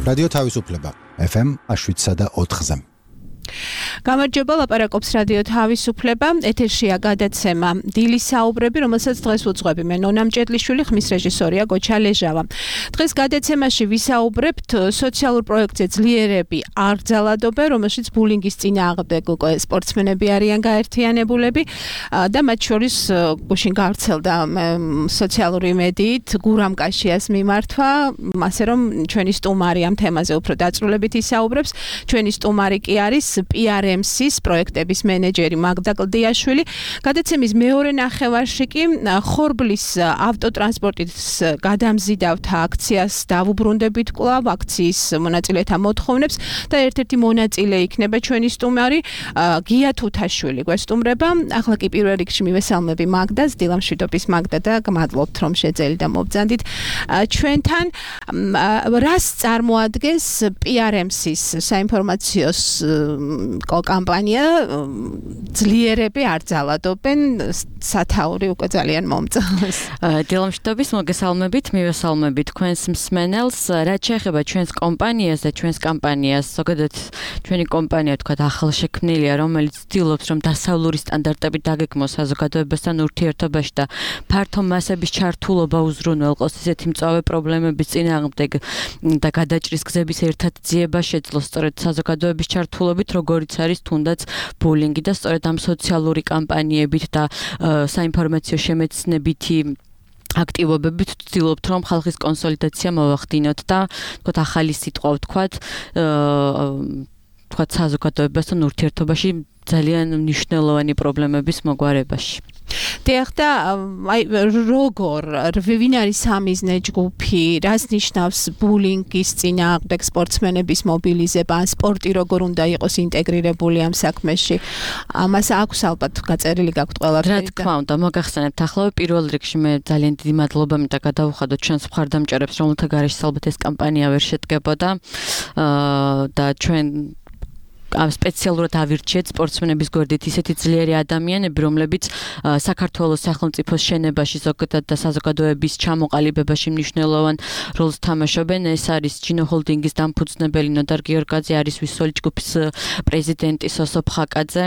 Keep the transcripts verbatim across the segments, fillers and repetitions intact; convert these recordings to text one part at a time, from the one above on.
რადიო თავისუფლება ეფ ემ შვიდსა და ოთხზე. გამარჯობა, ლაპარაკობს რადიო თავისუფლება. ეთერშია გადაცემა დილის საუბრები, რომელსაც დღეს უძღვები მე ნონა მჭედლიშვილი, ხმის რეჟისორია გოჩა ლეჟავა. დღეს გადაცემაში ვისაუბრებთ სოციალურ პროექტზე ძლიერები არ ძალადობენ, რომელშიც ბულინგის წინააღმდეგ უკვე სპორტსმენები არიან გაერთიანებულები და მათ შორის გუშინ გავრცელდა სოციალური მედიით გურამ კაშიას მიმართვა, ასე რომ ჩვენი სტუმარი ამ თემაზე უფრო დაწვრილებით ისაუბრებს. ჩვენი სტუმარი კი არის პი არ ემ სის პროექტების მენეჯერი მაგდა კლდიაშვილი. გადაცემის მეორე ნახევარში კი ხორბლის ავტოტრანსპორტის გადამზიდავთა აქციას დავუბრუნდებით კვლავ აქციის მონაწილეთა მოთხოვნებს და ერთ-ერთი მონაწილე იქნება ჩვენი სტუმარი გია თუთაშვილი გვესტუმრება. ახლა კი პირველ რიგში მივესალმები მაგდას, დილამშვიდობის მაგდა და გმადლობთ რომ შეძელი და მობრძანდით ჩვენთან. რას წარმოადგენს პი არ ემ სის საინფორმაციო კამპანია ძლიერები არ ძალადობენ, სათაური უკვე ძალიან მომწონს. დილამშვიდობის მოგესალმებით, მივესალმებით თქვენს მსმენელს. რაც შეეხება ჩვენს კომპანიას და ჩვენს კამპანიას, ზოგადად ჩვენი კომპანია თქვა ახალშექმნილია, რომელიც ცდილობს რომ დასავლური სტანდარტებით დაგეგმოს საზოგადოებასთან ურთიერთობაში და ფართო მასების ჩართულობა უზრუნველყოს ისეთი მწვავე პრობლემების წინააღმდეგ და გადაჭრის გზების ერთად ძიება შეძლოს სწორედ საზოგადოების ჩართულობით, როგორიც არის თუნდაც ბულინგი და სწორედ ამ სოციალური კამპანიებით და საინფორმაციო შემეცნებითი აქტივობებით ვცდილობთ რომ ხალხის კონსოლიდაცია მოვახდინოთ და თქვათ ახალი სიტყვა ვთქვათ თქვათ საზოგადოებასთან ურთიერთობაში ძალიან მნიშვნელოვანი პრობლემების მოგვარებაში. დიახ და აი როგორ ვინ არის სამიზნე ჯგუფი, რას ნიშნავს ბულინგის წინააღმდეგ სპორტსმენების მობილიზება, ან სპორტი როგორ უნდა იყოს ინტეგრირებული ამ საქმეში? ამას აქვს ალბათ გაწერილი გაქვთ ყველაფერი. რა თქმა უნდა, მოგახსენებთ ახლა პირველ რიგში მე ძალიან დიდი მადლობა მინდა გადავუხადოთ ჩვენს მხარდამჭერებს, რომელთა გარეშე ალბათ ეს კამპანია ვერ შედგებოდა და ჩვენ ამ სპეციალურად ავირჩიეთ სპორტსმენების გვერდით ისეთი ძლიერი ადამიანები, რომლებიც საქართველოს სახელმწიფოს შენებაში ზოგადად და საზოგადოების ჩამოყალიბებაში მნიშვნელოვან როლს თამაშობენ. ეს არის ჯინო ჰოლდინგის დამფუძნებელი ნოდარ გიორგაძე, არის ვისoli ჯგუფის პრეზიდენტი სოსო ფხაკაძე,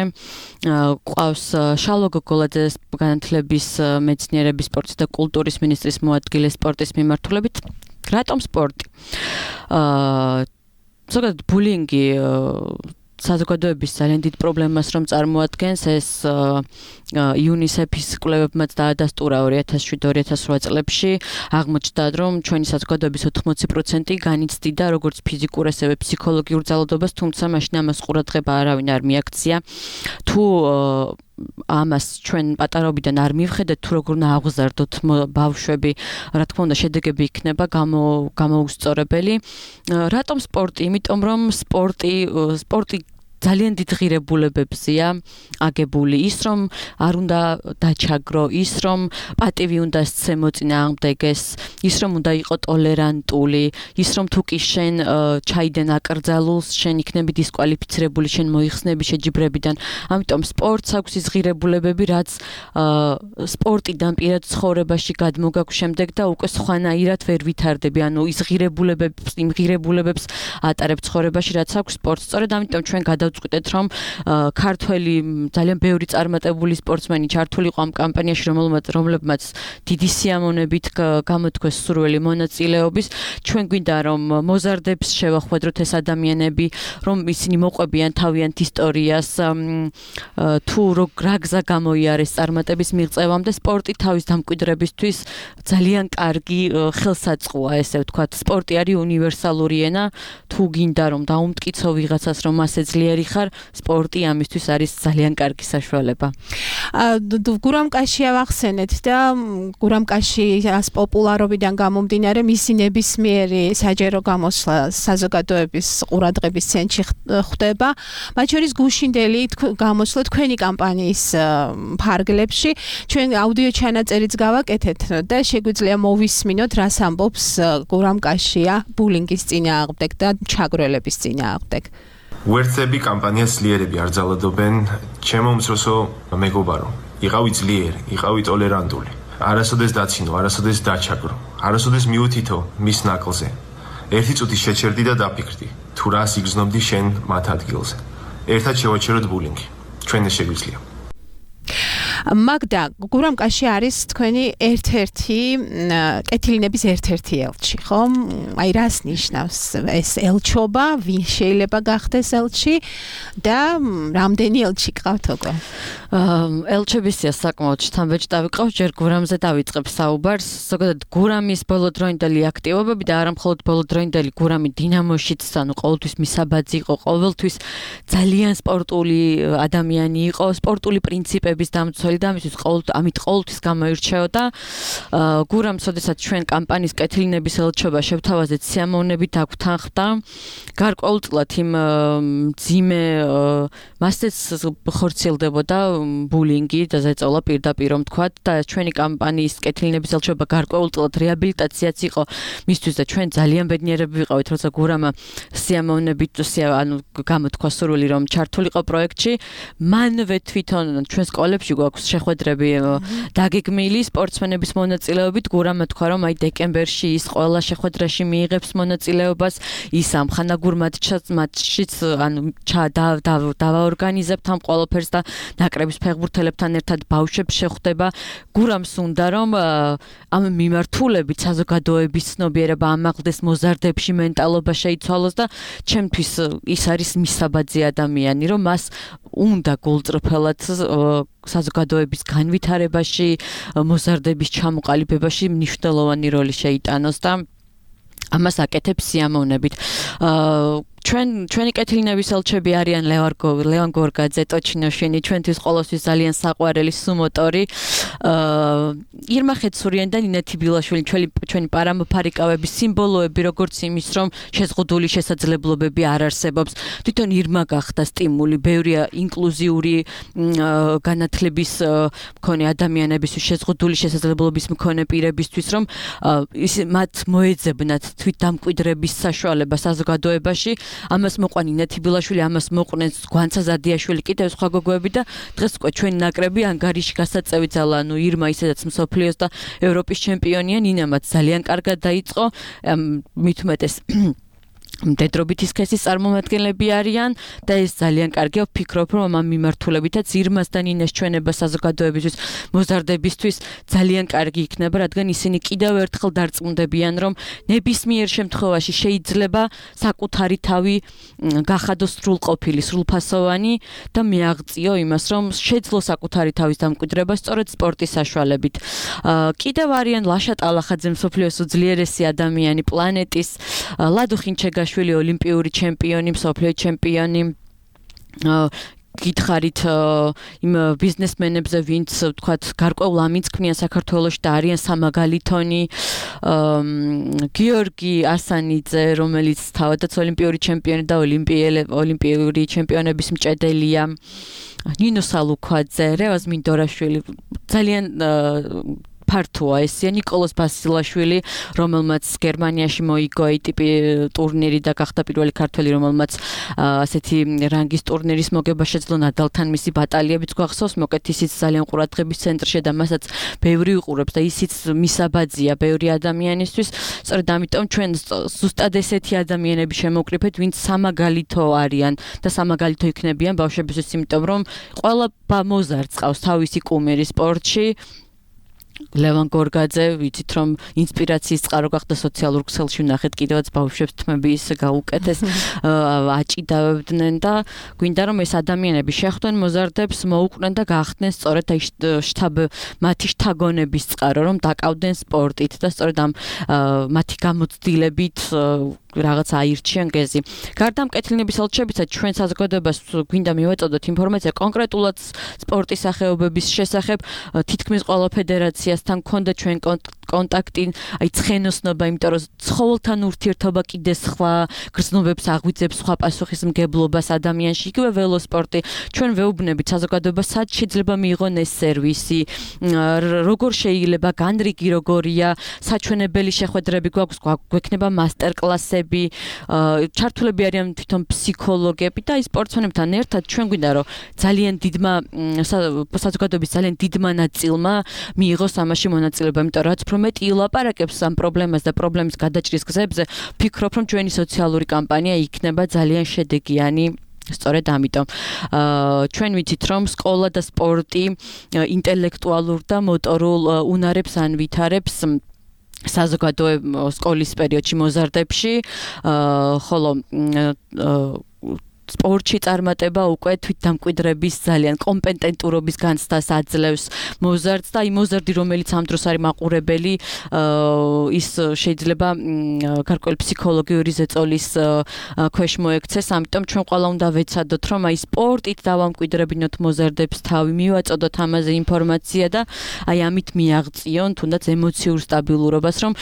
ყავს შალო გოგოლაძე, განათლების მეცნიერების, სპორტის და კულტურის მინისტრის მოადგილე სპორტის მიმართულებით. რატომ სპორტი? აა ზოგადად ბულინგი საზოგადოების ძალიან დიდ პრობლემას რომ წარმოადგენს, ეს იუნისეფის კვლევებმაც დაადასტურა ორი ათას შვიდ ორი ათას რვა წლებში. აღმოჩნდა რომ ჩვენი საზოგადოების ოთხმოცი პროცენტი განიცდიდა როგორც ფიზიკურ ასევე ფსიქოლოგიურ ძალადობას, თუმცა მაშინ ამას ყურადღება არავინ არ მიაქცია. თუ ამას ჩვენ პატარაობიდან არ მივხედეთ, თუ როგორ უნდა აღზარდოთ ბავშვები, რა თქმა უნდა შედეგები იქნება გამოუსწორებელი. რატომ სპორტი? იმიტომ რომ სპორტი სპორტი ძალიან დიდ ღირებულებებზეა აგებული, ის რომ არ უნდა დაჩაგრო, ის რომ პატივი უნდა სცემო წინააღმდეგეს, ის რომ უნდა იყო ტოლერანტული, ის რომ თუ კი შენ ჩაიდენ აკრძალულს, შენ იქნები დისკვალიფიცირებული, შენ მოიხსნები შეჯიბრებიდან. ამიტომ სპორტს აქვს ის ღირებულებები, რაც სპორტიდან პირად ცხოვრებაში გადმოგაქვს შემდეგ და უკვე სხვანაირად ვერ ვითარდები. ანუ ის ღირებულებებს, იმ ღირებულებებს ატარებ ცხოვრებაში, რაც აქვს სპორტს. სწორედ ამიტომ ჩვენ გადავწყვიტეთ რომ ქართველი ძალიან ბევრი წარმატებული სპორტსმენი ჩართული იყო ამ კამპანიაში, რომლებმაც დიდი სიამოვნებით გამოთქვეს სურვილი მონაწილეობის. ჩვენ გვინდა რომ მოზარდებს შევახვედროთ ეს ადამიანები, რომ ისინი მოყვებიან თავიანთ ისტორიას, თუ რა გზა გამოიარეს წარმატების მიღწევამდე. სპორტი თავის დამკვიდრებისთვის ძალიან კარგი ხელსაწყოა, ესე ვთქვათ. სპორტი არის უნივერსალური ენა, თუ გინდა რომ დაუმტკიცო ვიღაცას რომ ასე ძლიერი ხარ, სპორტი ამისთვის არის ძალიან კარგი საშუალება. გურამ კაშია ვახსენეთ და გურამ კაშიას პოპულარობიდან გამომდინარე მისი ნებისმიერი საჯარო გამოსვლა საზოგადოების ყურადღების ცენტრში ხდება. მათ შორის გუშინდელი გამოსვლა თქვენი კამპანიის ფარგლებში. ჩვენ აუდიო ჩანაწერიც გავაკეთეთ და შეგვიძლია მოვისმინოთ, რას ამბობს გურამ კაშია ბულინგის წინააღმდეგ და ჩაგრელების წინააღმდეგ. ვერცები კამპანიას ძლიერები არ ძალადობენ, ჩემო უმცროსო მეგობარო, იყავი ძლიერი, იყავი ტოლერანტული. არასოდეს დაცინო, არასოდეს დაჩაგრო, არასოდეს მიუთითო მის ნაკლზე. ერთი წუთი შეჩერდი და დაფიქრდი, თუ რას იგრძნობდი შენ მათ ადგილზე. ერთად შევაჩეროთ ბულინგი. ჩვენ ეს შეგვიძლია. მაგდა, გურამკაში არის თქვენი ერთ-ერთი კეთილინების ერთ-ერთი ელჩი, ხო? აი რას ნიშნავს ეს ელჩობა, ვინ შეიძლება გახდეს ელჩი და რამდენი ელჩი გყავთ უკვე? ელჩებისია საკმაოდ შთამბეჭდავი ყავს, ჯერ გურამზე დავიწყებ საუბარს. ზოგადად გურამის ბოლოდროინდელი აქტივობები და არა მხოლოდ ბოლოდროინდელი გურამი დინამოშიც, ანუ ყოველთვის მისაბაძი იყო, ყოველთვის ძალიან სპორტული ადამიანი იყო, სპორტული პრინციპების დამცველი და ამისთვის ყოველთვის ამით ყოველთვის გამოირჩეოდა. გურამს, ოდესაც ჩვენ კამპანიის კეთილინების ელჩობა შევთავაზეთ, სიამოვნებით დაგვთანხმდა. გარკვეულწილად იმ ძიმე მასეც ხორციელდებოდა ბულინგი და ზეწოლა პირდაპირ რომ თქვათ და ჩვენი კამპანიის კეთილინების ელჩობა გარკვეულწილად რეაბილიტაციაც იყო მისთვის და ჩვენ ძალიან ბედნიერები ვიყავით, როცა გურამა სიამოვნებით ანუ გამოთქვა სურვილი რომ ჩართულიყო პროექტში. მანვე თვითონ ჩვენ სკოლებში გვაქვს შეხვედრები დაგეგმილი სპორტსმენების მონაწილეობით. გურამა თქვა რომ აი დეკემბერში ის ყველა შეხვედრაში მიიღებს მონაწილეობას, ის ამხანაგურ მატჩშიც ანუ დავაორგანიზებთ ამ ყველაფერს და ნაკრების ფეხბურთელებთან ერთად ბავშვებს შეხვდება. გურამს უნდა რომ ამ მიმართულებით საზოგადოების ცნობიერება ამაღლდეს, მოზარდებში მენტალობა შეიცვალოს და ჩემთვის ის არის მისაბაძი ადამიანი, რომ მას უნდა გულწრფელად საზოგადოების განვითარებაში, მოზარდების ჩამოყალიბებაში მნიშვნელოვანი როლი შეიტანოს და ამას აკეთებს სიამოვნებით. ჩვენ ჩვენი კეთილინების ელჩები არიან ლევან გორგაძე, ტოჩინოშვილი, ჩვენთვის ყოველთვის ძალიან საყვარელი სუმოტორი. ირმა ხეცურიანი და ნინეთი ბილაშვილი, ჩვენი ჩვენი პარამოფარიკავების სიმბოლოები, როგორც იმის, რომ შეზღუდული შესაძლებლობები არ არსებობს. თვითონ ირმა გახდა სტიმული, ბევრია ინკლუზიური განათლების მქონე ადამიანებისთვის, შეზღუდული შესაძლებლობის მქონე პირებისთვის, რომ ის მათ მოეძებნათ თვითდამკვიდრების საშუალება საზოგადოებაში. ამას მოყვა ნინეთი ბილაშვილი, ამას მოყვნეს გვანცა ზადიაშვილი, კიდევ სხვა გოგოები და დღეს უკვე ჩვენი ნაკრები ანგარიში გასაწევი ძალა, ანუ ირმა ისედაც მსოფლიოს და ევროპის ჩემპიონია, ნინამაც ძალიან კარგად დაიწყო, მით უმეტეს მდედრობითი სქესის წარმომადგენლები არიან და ეს ძალიან კარგია, ვფიქრობ, რომ ამ მიმართულებითაც ირმას და ნინას ჩვენება საზოგადოებისთვის, მოზარდებისთვის ძალიან კარგი იქნება, რადგან ისინი კიდევ ერთხელ დარწმუნდებიან, რომ ნებისმიერ შემთხვევაში შეიძლება საკუთარი თავი გახადოს სრულყოფილი, სრულფასოვანი და მიაღწიო იმას, რომ შეძლო საკუთარი თავის დამკვიდრება სწორედ სპორტის საშუალებით. კიდევ არიან ლაშა ტალახაძე, მსოფლიოს უძლიერესი ადამიანი პლანეტის, ლადო ხინჩეგა შვილი ოლიმპიური ჩემპიონი, მსოფლიო ჩემპიონი. გითხარით იმ ბიზნესმენებზე, ვინც თქვათ გარკვეულ ამინს ქმნიან საქართველოში და არიან სამაგალითონი. გიორგი ასანიძე, რომელიც თავადაც ოლიმპიური ჩემპიონი და ოლიმპიური ჩემპიონების მჭედელია. ნინო სალუქვაძე, რევაზ მინდორაშვილი, ძალიან ფართოა ესია. ნიკოლოზ ბასილაშვილი, რომელმაც გერმანიაში მოიგო ეი ტი პი ტურნირი და გახდა პირველი ქართველი, რომელმაც ასეთი რანგის ტურნირის მოგება შეძლო. ნადალთან მისი ბატალიებიც გვახსოვს, მოკეთ ისიც ძალიან ყურადღების ცენტრში და მასაც ბევრი უყურებს და ისიც მისაბაძია ბევრი ადამიანისთვის. სწორედ ამიტომ ჩვენ ზუსტად ესეთი ადამიანები შემოვკრიფეთ, ვინც სამაგალითო არიან და სამაგალითო იქნებიან ბავშვებისთვის, იმიტომ რომ ყველა მოზარდს ყავს თავისი კუმირი სპორტში. ლევან გორგაძე, ვიცით რომ ინსპირაციის წყარო გახდა სოციალურ ქსელში, ნახეთ კიდევაც ბავშვებს თმები ის გაუკეთეს, აჭიდავდნენ და გვინდა რომ ეს ადამიანები შეხვდნენ მოზარდებს, მოუყვნენ და გახდნენ სწორედ აი შტაბ მათი შთაგონების წყარო, რომ დაკავდნენ სპორტით და სწორედ ამ მათი გამოცდილებით რაღაც აირჩიან გეზი. გარდა ამ კეთილინების ელჩებისა, ჩვენ საზოგადოებას გვინდა მივაწოდოთ ინფორმაცია კონკრეტულად სპორტის სახეობების შესახებ, თითქმის ყველა ფედერაციასთან გქონდა ჩვენ კონტაქტი, აი ცხენოსნობა, იმიტომ რომ ცხოველთან ურთიერთობა კიდე სხვა გრძნობებს აღვიძებს, სხვა პასუხისმგებლობას ადამიანში, იგივე ველოსპორტი. ჩვენ ვეუბნებით საზოგადოებას, სად შეიძლება მიიღონ ეს სერვისი, როგორ შეიძლება, განრიგი როგორია, საჩვენებელი შეხვედრები გვაქვს, გვექნება მასტერკლასები, ჩართულები არიან თვითონ ფსიქოლოგები და აი სპორტსმენებთან ერთად ჩვენ გვინდა რომ ძალიან დიდმა საზოგადოების ძალიან დიდმა ნაწილმა მიიღოს მიიღოს ამაში მონაწილეობა, იმიტომ რომ რაც უფრო მეტი ილაპარაკებს ამ პრობლემას და პრობლემის გადაჭრის გზებზე, ვფიქრობ, რომ ჩვენი სოციალური კამპანია იქნება ძალიან შედეგიანი. სწორედ ამიტომ ჩვენ ვიცით რომ სკოლა და სპორტი ინტელექტუალურ და მოტორულ უნარებს ანვითარებს საზოგადო სკოლის პერიოდში მოზარდებში, ხოლო სპორტში წარმატება უკვე თვითდამკვიდრების ძალიან კომპეტენტურობის განცდას აძლევს მოზარდს და იმ მოზარდი რომელიც ამ დროს არის მაყურებელი ის შეიძლება გარკვეული ფსიქოლოგიური ზეწოლის ქვეშ მოექცეს, ამიტომ ჩვენ ყველა უნდა ვეცადოთ რომ აი სპორტით დავამკვიდრებინოთ მოზარდებს, თავი მივაწოდოთ ამაზე ინფორმაცია და აი ამით მიაღწიონ თუნდაც ემოციურ სტაბილურობას, რომ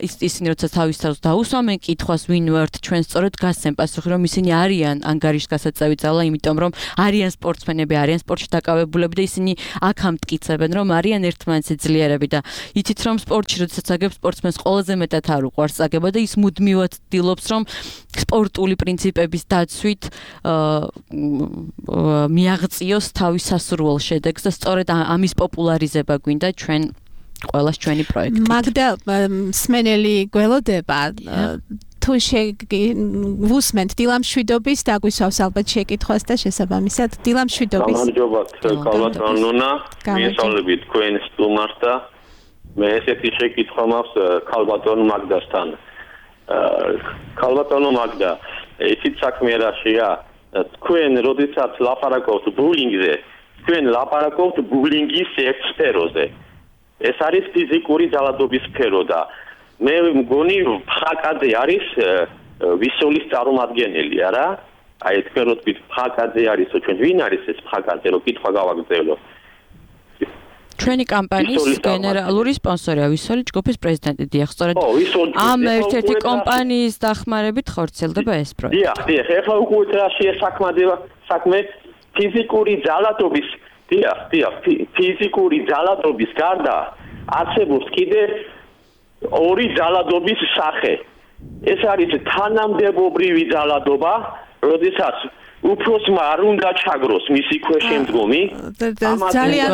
ისინი როცა თავის თავს დაუსვამენ კითხვას ვინ ვართ, ჩვენ სწორედ გასცემ პასუხი რომ ისინი არიან გასაწევი ძალა, იმიტომ რომ არიან სპორტსმენები, არიან სპორტში დაკავებულები და ისინი აქ ამტკიცებენ, რომ არიან ერთმანეთზე ძლიერები და იცით რომ სპორტში როდესაც აგებ სპორტსმენს ყველაზე მეტად არ უყვარს აგება და ის მუდმივად ცდილობს რომ სპორტული პრინციპების დაცვით მიაღწიოს თავის სასურველ შედეგს და სწორედ ამის პოპულარიზება გვინდა ჩვენ ყველას ჩვენი პროექტით. მაგდა სმენელი გველოდება თუ შეგუსმენთ დილამშვიდობის დაგვისვავს ალბათ შეკითხვას და შესაბამისად დილამშვიდობის. გამარჯობათ, ქალბატონონა, მიესალმებით თქვენ სტუმარს და მე ესეთი შეკითხვა მაქვს ქალბატონ მაგდასთან. ქალბატონო მაგდა, ისიც საქმე რაშია, თქვენ როდესაც ლაპარაკობთ ბულინგზე, თქვენ ლაპარაკობთ ბულინგის ერთ სფეროზე. ეს არის ფიზიკური ძალადობის სფერო და მე მგონი ფხაკაძე არის ვისოლის წარმომადგენელი, არა? აი თქვენ რო თქვით ფხაკაძე არის, ჩვენ ვინ არის ეს ფხაკაძე, რო კითხვა გავაგრძელო. ჩვენი კამპანიის გენერალური სპონსორია ვისოლის ჯგუფის პრეზიდენტი დიახ, სწორედ ამ ერთ-ერთი კომპანიის დახმარებით ხორციელდება ეს პროექტი. დიახ, დიახ, ეხლა უკვე რაშია საქმედება, საქმე ფიზიკური ძალადობის, დიახ, დიახ, ფიზიკური ძალადობის გარდა არსებობს კიდე ორი ძალადობის სახე. ეს არის თანამდებობრივი ძალადობა, როდესაც უფროსმა არ უნდა ჩაგროს მისი ქვეშემდგომი. ძალიან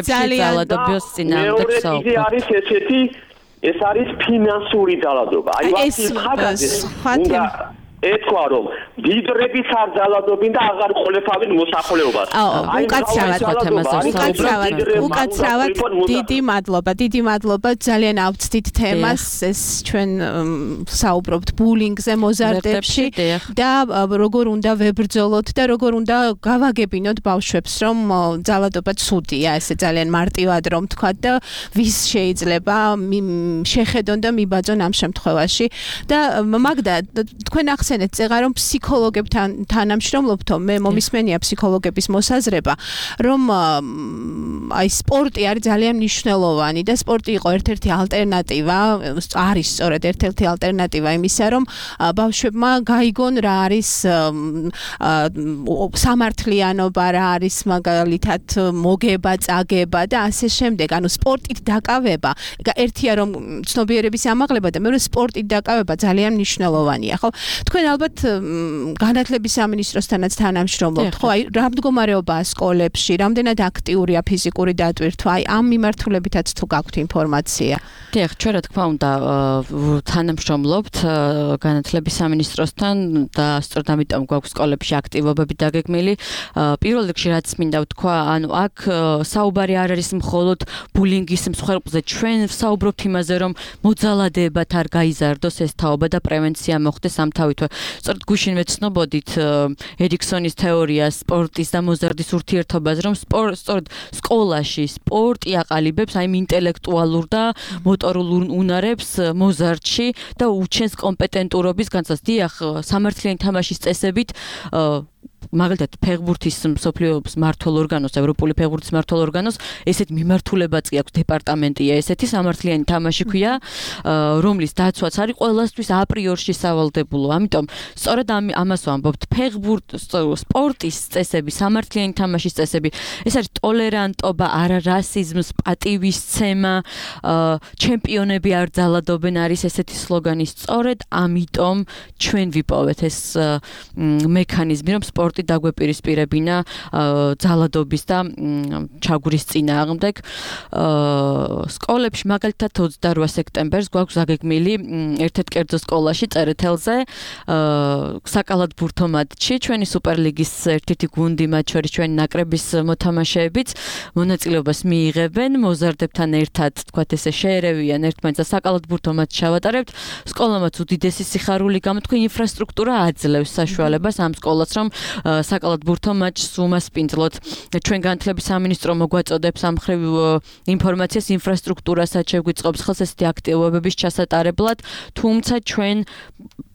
ძალადობის წინააღმდეგ საუბრობ. არის ესეთი, ეს არის ფინანსური ძალადობა. აი ვასილ ხაგაძეს უნდა ეთქვა რომ დიდრების არ ძალადობენ და აღარ ყოლეფავენ მოსახლეობას. აი უკაცრავად უკაცრავად უკაცრავად დიდი მადლობა, დიდი მადლობა, ძალიან ავწდით თემას, ეს ჩვენ საუბრობთ ბულინგზე, მოზარდებში და როგორ უნდა ვებრძოლოთ და როგორ უნდა გავაგებინოთ ბავშვებს, რომ ძალადობა ცუდია, ესე ძალიან მარტივად რომ თქვათ და ვის შეიძლება შეხედონ და მიბაძონ ამ შემთხვევაში და მაგდა თქვენ ახსენეთ წეღა რომ ფსიქოლოგებთან თანამშრომლობთო, მე მომისმენია ფსიქოლოგების მოსაზრება, რომ აი სპორტი არის ძალიან მნიშვნელოვანი და სპორტი იყო ერთ-ერთი ალტერნატივა, არის სწორედ ერთ-ერთი ალტერნატივა იმისა, რომ ბავშვებმა გაიგონ რა არის სამართლიანობა, რა არის მაგალითად მოგება, წაგება და ასე შემდეგ. ანუ სპორტით დაკავება, ერთია რომ ცნობიერების ამაღლება და მეორე სპორტით დაკავება ძალიან მნიშვნელოვანია, ხო? თქვენ ალბათ განათლების სამინისტროსთანაც თანამშრომლობთ, ხო? აი რა მდგომარეობაა სკოლებში, რამდენად აქტიურია ფიზიკური დატვირთვა, აი ამ მიმართულებითაც თუ გაქვთ ინფორმაცია. დიახ, ჩვენ რა თქმა უნდა თანამშრომლობთ განათლების სამინისტროსთან და სწორედ ამიტომ გვაქვს სკოლებში აქტივობები დაგეგმილი. პირველ რიგში რაც მინდა ვთქვა, ანუ აქ საუბარი არ არის მხოლოდ ბულინგის მსხვერპლზე, ჩვენ ვსაუბრობთ იმაზე, რომ მოძალადებათ არ გაიზარდოს ეს თაობა და პრევენცია მოხდეს ამ თავითვე. სწორედ გუშინ ვეცნობოდით ერიქსონის თეორიას სპორტის და მოზარდის ურთიერთობას, რომ სწორედ სკოლაში სპორტი აყალიბებს აი ინტელექტუალურ და მოტორულ უნარებს მოზარდში და უჩენს კომპეტენტურობის განცდას. დიახ, სამართლიანი თამაშის წესებით მაგალითად ფეხბურთის მსოფლიოს მმართველ ორგანოს, ევროპული ფეხბურთის მმართველ ორგანოს ესეთ მიმართულებაც კი აქვს, დეპარტამენტია ესეთი სამართლიანი თამაში ქვია, რომლის დაცვაც არის ყველასთვის აპრიორში სავალდებულო. ამიტომ სწორედ ამას ვამბობთ, ფეხბურთ სპორტის წესები, სამართლიანი თამაშის წესები, ეს არის ტოლერანტობა, არა რასიზმს, პატივისცემა, ჩემპიონები არ ძალადობენ არის ესეთი სლოგანი. სწორედ ამიტომ ჩვენ ვიპოვეთ ეს მექანიზმი, რომ სპორტი დაგვეპირისპირებინა ძალადობის და ჩაგვრის წინააღმდეგ. სკოლებში მაგალითად ოცდარვა სექტემბერს გვაქვს აგეგმილი ერთ-ერთ კერძო სკოლაში წერეთელზე საკალათბურთო მატჩი ჩვენი სუპერლიგის ერთ-ერთი გუნდი მათ შორის ჩვენი ნაკრების მოთამაშეებიც მონაწილეობას მიიღებენ მოზარდებთან ერთად თქვათ ესე შეერევიან ერთმანეთს და საკალათბურთო მატჩს ჩავატარებთ სკოლამაც უდიდესი სიხარული გამოთქვა ინფრასტრუქტურა აძლევს საშუალებას ამ სკოლას რომ საკალათბურთო მატჩს უმასპინძლოთ ჩვენ განათლების სამინისტრო მოგვაწოდებს ამ ხრივ ინფორმაციას ინფრასტრუქტურასაც შეგვიწყობს ხელს ესეთი აქტივობების ჩასატარებლად თუმცა ჩვენ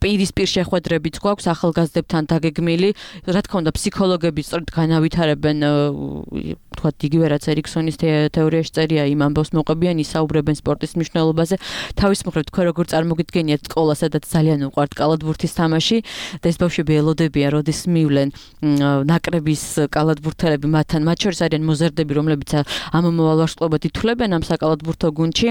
პირისპირ შეხვედრებიც გვაქვს ახალგაზრდებთან დაგეგმილი რა თქმა უნდა ფსიქოლოგები სწორედ განავითარებენ თქვათ იგივე რაც ერიქსონის თეორიაში წერია იმ ამბავს მოყვებიან ისაუბრებენ სპორტის მნიშვნელობაზე თავის მხრივ თქვენ როგორ წარმოგიდგენიათ სკოლა სადაც ძალიან უყვართ კალათბურთის თამაში და ეს ბავშვები ელოდებიან როდის მივლენ ნაკრების კალათბურთელები მათთან მათ შორის არიან მოზარდები რომლებიც ამ მომავალ ვარსკვლავად ითვლებენ ამ საკალათბურთო გუნდში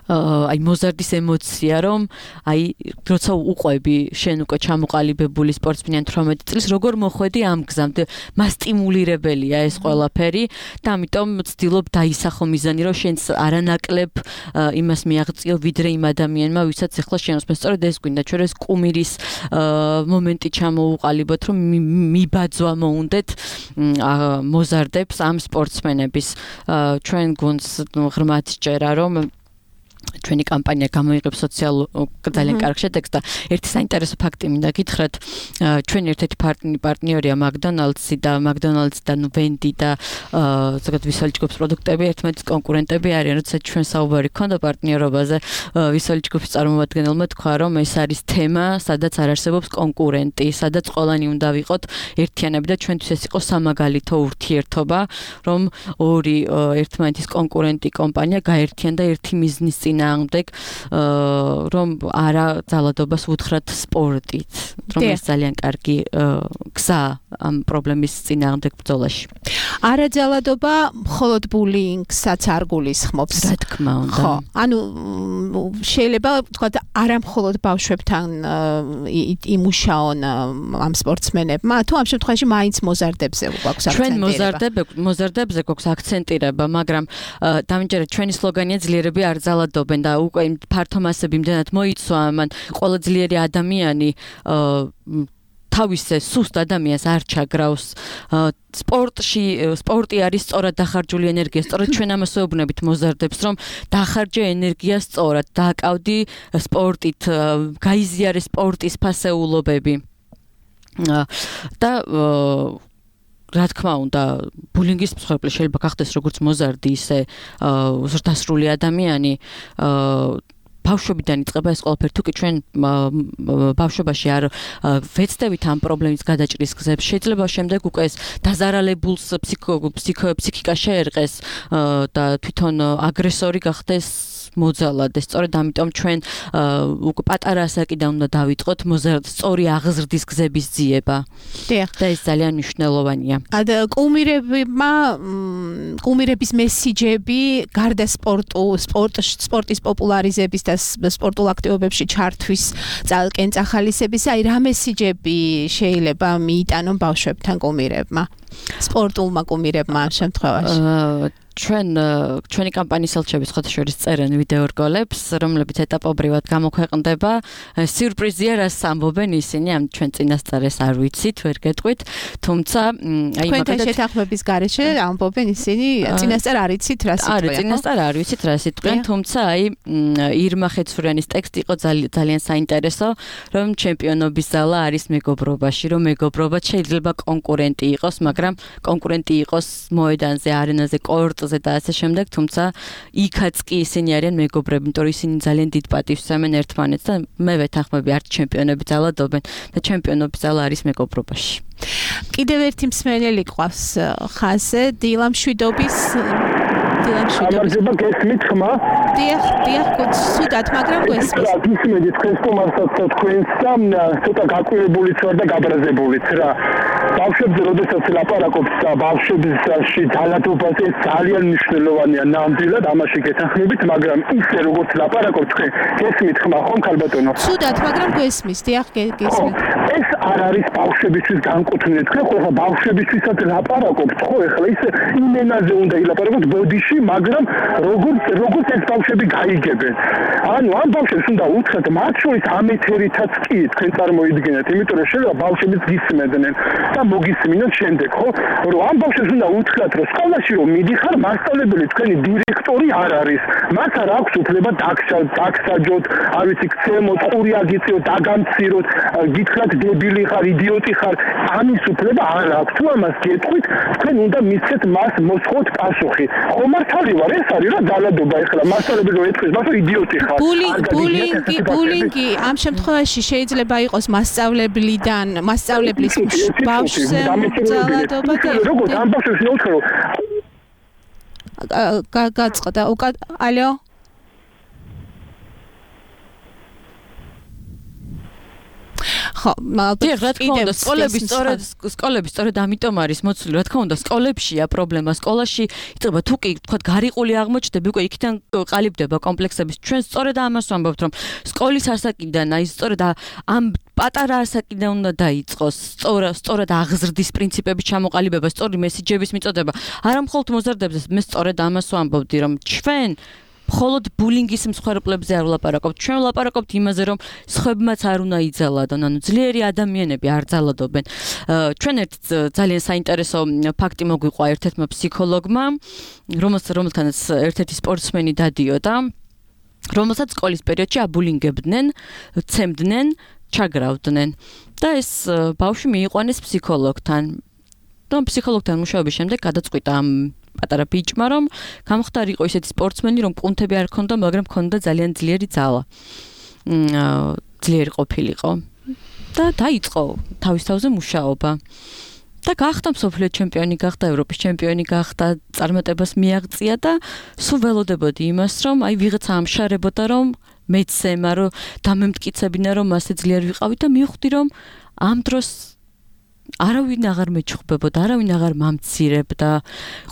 აი მოზარდის ემოცია რომ აი როცა უყვები შენ უკვე ჩამოყალიბებული სპორტსმენი თვრამეტი წლის როგორ მოხვედი ამ გზამდე მასტიმულირებელია ეს ყველაფერი და ამიტომ ვცდილობ დაისახო მიზანი რომ შენს არანაკლებ იმას მიაღწიო ვიდრე იმ ადამიანმა ვისაც ახლა შეnosmens სწორედ ეს გვინდა ჩვენ ეს კუმირის მომენტი ჩამოუყალიბოთ რომ მიბაძვა მოუნდეთ მოზარდებს ამ სპორტსმენების ჩვენ გუნდს ღრმად სჯერა რომ ჩვენი კამპანია გამოიღებს სოციალურ ძალიან კარგ შედეგს და ერთი საინტერესო ფაქტი მინდა გითხრათ ჩვენი ერთ-ერთი პარტნიორია მაკდონალდსი და მაკდონალდსი და ვენდი და ზოგადად ვისელი ჯგუფის პროდუქტები ერთმანეთის კონკურენტები არიან როცა ჩვენ საუბარი ქონდა პარტნიორობაზე ვისელი ჯგუფის წარმომადგენელმა თქვა რომ ეს არის თემა სადაც არ არსებობს კონკურენტი სადაც ყველანი უნდა ვიყოთ ერთიანები და ჩვენთვის ეს იყო სამაგალითო ურთიერთობა რომ ორი ერთმანეთის კონკურენტი კომპანია გაერთიანდა ერთი მიზნის წინააღმდეგ რომ არა ძალადობას უთხრათ სპორტით რომ ეს ძალიან კარგი გზა ამ პრობლემის წინააღმდეგ ბრძოლაში არა ძალადობა მხოლოდ ბულინგსაც არ გულისხმობს რა თქმა უნდა ხო ანუ შეიძლება თქვა არა მხოლოდ ბავშვებთან იმუშაონ ამ სპორტსმენებმა თუ ამ შემთხვევაში მაინც მოზარდებზე გვაქვს აქცენტირება ჩვენ მოზარდებზე მოზარდებზე გვაქვს აქცენტირება მაგრამ დამიჯერეთ ჩვენი სლოგანია ძლიერები არ ძალადობენ და უკვე ფართო მასები იმდენად მოიცვა მან ყველა ძლიერი ადამიანი თავისე სუსტ ადამიანს არ ჩაგრავს სპორტში სპორტი არის სწორად დახარჯული ენერგია სწორად ჩვენ ამას ვეუბნებით მოზარდებს რომ დახარჯე ენერგია სწორად დააკავდი სპორტით გაიზიარე სპორტის ფასეულობები და რა თქმა უნდა ბულინგის მსხვერპლი შეიძლება გახდეს როგორც მოზარდი ისე ზრდასრული ადამიანი ბავშვებიდან იწყება ეს ყველაფერი თუ კი ჩვენ ბავშვობაში არ ვეცდებით ამ პრობლემის გადაჭრის გზებს შეიძლება შემდეგ უკვე ეს დაზარალებულს ფსიქიკა შეერყეს და თვითონ აგრესორი გახდეს მოძალადეს სწორედ ამიტომ ჩვენ უკვე პატარა ასაკიდან უნდა დავიწყოთ სწორი აღზრდის გზების ძიება და ეს ძალიან მნიშვნელოვანია და კუმირებმა კუმირების მესიჯები გარდა სპორტუ სპორტის პოპულარიზების და სპორტულ აქტივობებში ჩართვის წალკენ წახალისების აი რა მესიჯები შეიძლება მიიტანონ ბავშვებთან კუმირებმა სპორტულმა კუმირებმა ამ შემთხვევაში ჩვენ ჩვენი კამპანიის ელჩები სხვადასხვა წერენ ვიდეო რგოლებს, რომლებიც ეტაპობრივად გამოქვეყნდება. სიურპრიზია, რას ამბობენ ისინი, ამ ჩვენ წინასწარეს არ ვიცით, ვერ გეტყვით, თუმცა აი მაგალითად შეთანხმების გარეშე ამბობენ ისინი, წინასწარ არ იცით რა სიტყვია. არა, წინასწარ არ ვიცით რა სიტყვია, თუმცა აი ირმა ხეცურიანის ტექსტი იყო ძალიან საინტერესო, რომ ჩემპიონობის ზალა არის მეგობრობაში, რომ მეგობრობა შეიძლება კონკურენტი იყოს, მაგრამ კონკურენტი იყოს მოედანზე, არენაზე, კორტზე და ასე შემდეგ, თუმცა იქაც კი ისინი არიან მეგობრები, იმიტომ რომ ისინი ძალიან დიდ პატივს ემენ ერთმანეთს და მე ვეთანხმები არც ჩემპიონები ძალადობენ და ჩემპიონობის ზალა არის მეგობრობაში. კიდევ ერთი მსმენელი ყავს ხაზზე, დილა მშვიდობის დილამშვიდობის. გამარჯობა, გესმით ხმა? დიახ, დიახ, გულწრფელად, მაგრამ გესმის. ისმედი თქვენს კომარსაც თქვენს და ცოტა გაკვირებულიც ვარ და გაბრაზებულიც რა. ბავშვებზე როდესაც ლაპარაკობთ და ბავშვებში ძალადობაზე ძალიან მნიშვნელოვანია ნამდვილად ამაში გეთანხმებით, მაგრამ ისე როგორც ლაპარაკობთ თქვენ, გესმით ხმა ხომ ქალბატონო? ცუდად, მაგრამ გესმის, დიახ, გესმით. ეს არ არის ბავშვებისთვის განკუთვნილი. თქვენ ხო ბავშვებისთვისაც ლაპარაკობთ, ხო ეხლა ისე იმენაზე უნდა ილაპარაკოთ ბოდიში, მაგრამ როგორც როგორც ეს ბავშვები გაიგებენ. ანუ ამ ბავშვებს უნდა უთხრათ, მათ შორის ამ ეთერითაც კი თქვენ წარმოიდგინეთ, იმიტომ რომ შეიძლება ბავშვებიც გისმედნენ და მოგისმინოთ შემდეგ, ხო? რომ ამ ბავშვებს უნდა უთხრათ, რომ სკოლაში რომ მიდიხარ, მასწავლებელი თქვენი დირექტორი არ არის. მათ არ აქვს უფლება დაგსაჯოთ, არ ვიცი, ქცემოთ, ყური აგიწიოთ, დაგამციროთ, გითხრათ დებილი ხარ, იდიოტი ხარ. ამის უფლება არ აქვს. თუ ამას გეტყვით, თქვენ უნდა მისცეთ მას მოსხოთ პასუხი. ხო მართალი ვარ, ეს არის რა ძალადობა ეხლა მასწავლებელი რომ ეთქვის, მას იდიოტი ხარ. ბულინგი, ბულინგი ამ შემთხვევაში შეიძლება იყოს მასწავლებლიდან, მასწავლებლის ბავშვზე ძალადობა. როგორც ამ ბავშვებს ნაუთხრო. გაწყდა, უკა, ალო? ხო, მაგრამ რა თქმა უნდა, სკოლები სწორედ სკოლები სწორედ ამიტომ არის მოცული, რა თქმა უნდა, სკოლებშია პრობლემა, სკოლაში იწყება თუ კი თქვა გარიყული აღმოჩნდები, უკვე იქიდან ყალიბდება კომპლექსების. ჩვენ სწორედ ამას ვამბობთ, რომ სკოლის ასაკიდან, აი სწორედ ამ პატარა ასაკიდან უნდა დაიწყოს სწორად სწორად აღზრდის პრინციპების ჩამოყალიბება, სწორი მესიჯების მიწოდება. არა მხოლოდ მოზარდებზე, მე სწორედ ამას ვამბობდი, რომ ჩვენ მხოლოდ ბულინგის მსხვერპლებზე არ ვლაპარაკობთ. ჩვენ ვლაპარაკობთ იმაზე, რომ სხვებმაც არ უნდა იძალადონ, ანუ ძლიერი ადამიანები არ ძალადობენ. ჩვენ ერთ ძალიან საინტერესო ფაქტი მოგვიყვა ერთ-ერთმა ფსიქოლოგმა, რომელთანაც ერთ-ერთი სპორტსმენი დადიოდა, რომელსაც სკოლის პერიოდში აბულინგებდნენ, ცემდნენ, ჩაგრავდნენ და ეს ბავშვი მიიყვანეს ფსიქოლოგთან. და ფსიქოლოგთან მუშაობის შემდეგ გადაწყვიტა ამ პატარა ბიჭმა, რომ გამხდარიყო ისეთი სპორტსმენი, რომ პუნქტები არ ჰქონდა, მაგრამ ჰქონდა ძალიან ძლიერი ძალა. ძლიერი ყოფილიყო და დაიწყო თავის თავზე მუშაობა. და გახდა მსოფლიო ჩემპიონი, გახდა ევროპის ჩემპიონი, გახდა წარმატებას მიაღწია და სულ ველოდებოდი იმას, რომ აი ვიღაცა ამშარებოდა, რომ მეცემა, რომ დამემტკიცებინა, რომ მასე ძლიერ ვიყავი და მივხვდი, რომ ამ დროს არავინ აღარ მეჩხუბებოდა, არავინ აღარ მამცირებდა,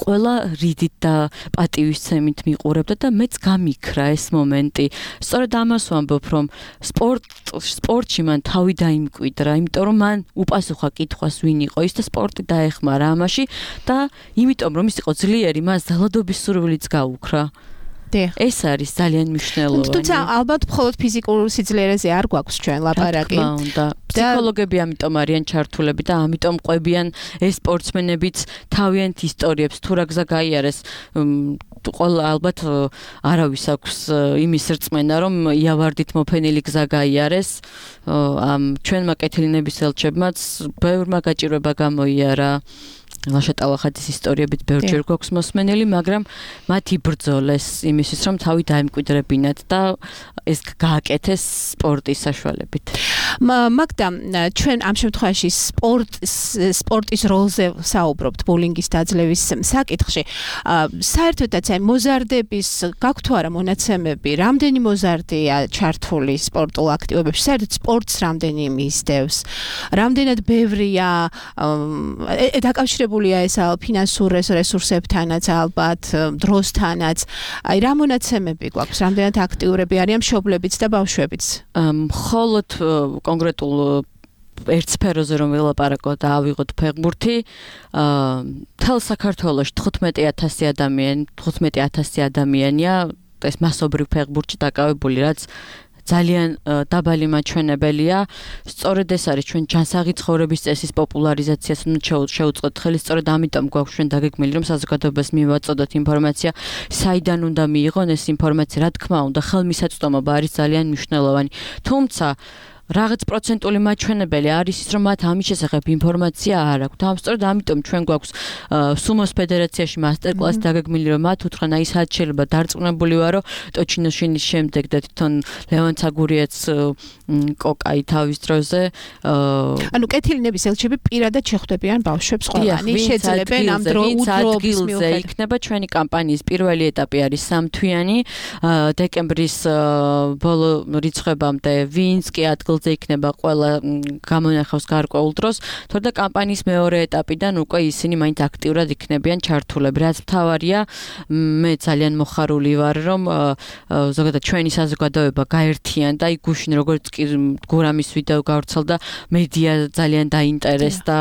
ყველა რიდით და პატივისცემით მიყურებდა და მეც გამიქრა ეს მომენტი. სწორედ ამას ვამბობ, რომ სპორტ სპორტში მან თავი დაიმკვიდრა, იმიტომ რომ მან უპასუხა კითხვას ვინ იყო ის და სპორტი დაეხმარა ამაში და იმიტომ რომ ის იყო ძლიერი, მას ძალადობის სურვილიც გაუქრა. ეს არის ძალიან მნიშვნელოვანი. თუმცა ალბათ მხოლოდ ფიზიკურ სიძლიერეზე არ გვაქვს ჩვენ ლაპარაკი. ფსიქოლოგები ამიტომ არიან ჩართულები და ამიტომ ყვებიან ეს სპორტსმენებიც თავიანთ ისტორიებს, თუ რა გზა გაიარეს. ყველა ალბათ არავის აქვს იმის რწმენა, რომ იავარდით მოფენილი გზა გაიარეს. ამ ჩვენმა კეთილინების ელჩებმაც ბევრმა გაჭირვება გამოიარა. ლაშა ტალახაძის ისტორიებით ბევრჯერ გვაქვს მოსმენელი, მაგრამ მათ იბრძოლეს იმისთვის, რომ თავი დაემკვიდრებინათ და ეს გააკეთეს სპორტის საშუალებით. მაგდა, ჩვენ ამ შემთხვევაში სპორტის როლზე საუბრობთ ბულინგის დაძლევის საკითხში. საერთოდაც აი მოზარდების გაქვთ თუ არა მონაცემები, რამდენი მოზარდია ჩართული სპორტულ აქტივობებში, საერთოდ სპორტს რამდენი მისდევს, რამდენად ბევრია დაკავშირებულია ეს ფინანსურ რესურსებთანაც, ალბათ დროსთანაც. აი რა მონაცემები გვაქვს, რამდენად აქტიურები არიან მშობლებიც და ბავშვებიც? მხოლოდ კონკრეტულ ერთ სფეროზე რომ ვილაპარაკოთ და ავიღოთ ფეხბურთი, მთელ საქართველოში თხუთმეტი ათასი ადამიანი, თხუთმეტი ათასი ადამიანია ეს მასობრივ ფეხბურთში დაკავებული, რაც ძალიან დაბალი მაჩვენებელია. სწორედ ეს არის ჩვენ ჯანსაღი ცხოვრების წესის პოპულარიზაციას შეუწყოთ ხელი, სწორედ ამიტომ გვაქვს ჩვენ დაგეგმილი, რომ საზოგადოებას მივაწოდოთ ინფორმაცია, საიდან უნდა მიიღონ ეს ინფორმაცია, რა თქმა უნდა, ხელმისაწვდომობა არის ძალიან მნიშვნელოვანი. თუმცა რაღაც პროცენტული მაჩვენებელი არის ის, რომ მათ ამის შესახებ ინფორმაცია არ აქვს. და სწორედ ამიტომ ჩვენ გვაქვს სუმოს ფედერაციაში მასტერკლასი დაგეგმილი, რომ მათ უთხრან, აი სად შეიძლება დარწმუნებული ვარო ტოჩინოშინის შემდეგ და თვითონ ლევან ცაგურიაც კოკაი თავის დროზე ანუ კეთილინების ელჩები პირადად შეხვდებიან ბავშვებს ყველანი შეძლებენ ამ დროის მიუხედავად იქნება ჩვენი კამპანიის პირველი ეტაპი არის სამთვიანი დეკემბრის ბოლო რიცხვებამდე ვინც კი ადგილზე იქნება ყველა გამონახავს გარკვეულ დროს თორე კამპანიის მეორე ეტაპიდან უკვე ისინი მაინც აქტიურად იქნებიან ჩართულები რაც მთავარია მე ძალიან მოხარული ვარ რომ ზოგადად ჩვენი საზოგადოება გაერთიანდა იქ გუშინ როგორც კი გურამის ვიდეო გავრცელდა მედია ძალიან დაინტერესდა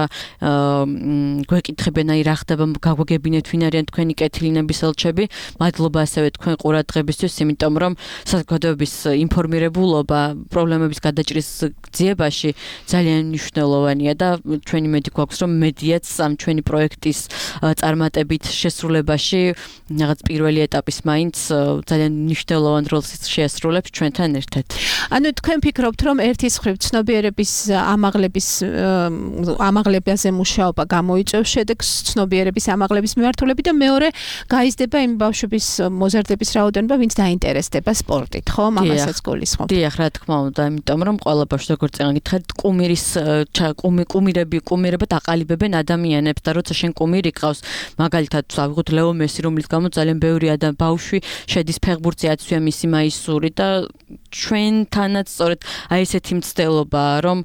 გვეკითხებენ აი რა ხდება გაგვაგებინეთ ვინ არიან თქვენი კეთილინების ელჩები მადლობა ასევე თქვენ ყურადღებისთვის იმიტომ რომ საზოგადოების ინფორმირებულობა პრობლემების გადაჭრის გზიებაში ძალიან მნიშვნელოვანია და ჩვენი მედი გვაქვს რომ მედიაც ამ ჩვენი პროექტის წარმატებით შესრულებაში რაღაც პირველი ეტაპის მაინც ძალიან მნიშვნელოვან როლს შეასრულებს ჩვენთან ერთად. ანუ თქვენ ფიქრობთ რომ ერთის მხრივ ცნობიერების ამაღლების ამაღლებაზე მუშაობა გამოიწვევს შედეგს ცნობიერების ამაღლების მიმართულებით და მეორე გაიზრდება იმ ბავშვების მოზარდების რაოდენობა ვინც დაინტერესდება სპორტით ხო მამასაც გულისხმობთ. დიახ რა თქმა უნდა იმიტომ რომ ყველა ბავშვი როგორც წეგან გითხარით კუმირის კუმირები კუმირება დაყალიბებენ ადამიანებს და როცა შენ კუმირი გყავს მაგალითად ავიღოთ ლეო მესი რომლის გამო ძალიან ბევრი ადამ ბავშვი შედის ფეხბურთზე აცვია მისი მაისური და ჩვენთანაც სწორედ აი ესეთი მცდელობაა რომ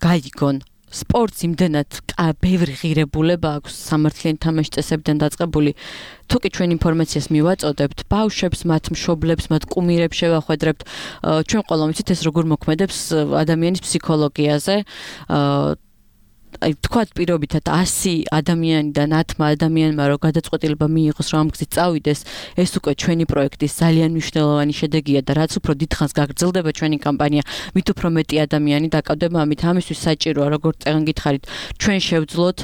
გაიგონ სპორტს იმდენად ბევრი ღირებულება აქვს სამართლიანი თამაშის წესებიდან დაწყებული თუ კი ჩვენ ინფორმაციას მივაწოდებთ ბავშვებს მათ მშობლებს მათ კუმირებს შევახვედრებთ ჩვენ ყველა ვიცით ეს როგორ მოქმედებს ადამიანის ფსიქოლოგიაზე აი თქვათ პირობითად ასი ადამიანიდან ათმა ადამიანმა რო გადაწყვეტილება მიიღოს რომ ამ გზით წავიდეს ეს უკვე ჩვენი პროექტის ძალიან მნიშვნელოვანი შედეგია და რაც უფრო დიდხანს გაგრძელდება ჩვენი კამპანია მით უფრო მეტი ადამიანი დაკავდება ამით ამისთვის საჭიროა როგორც წეგან გითხარით ჩვენ შევძლოთ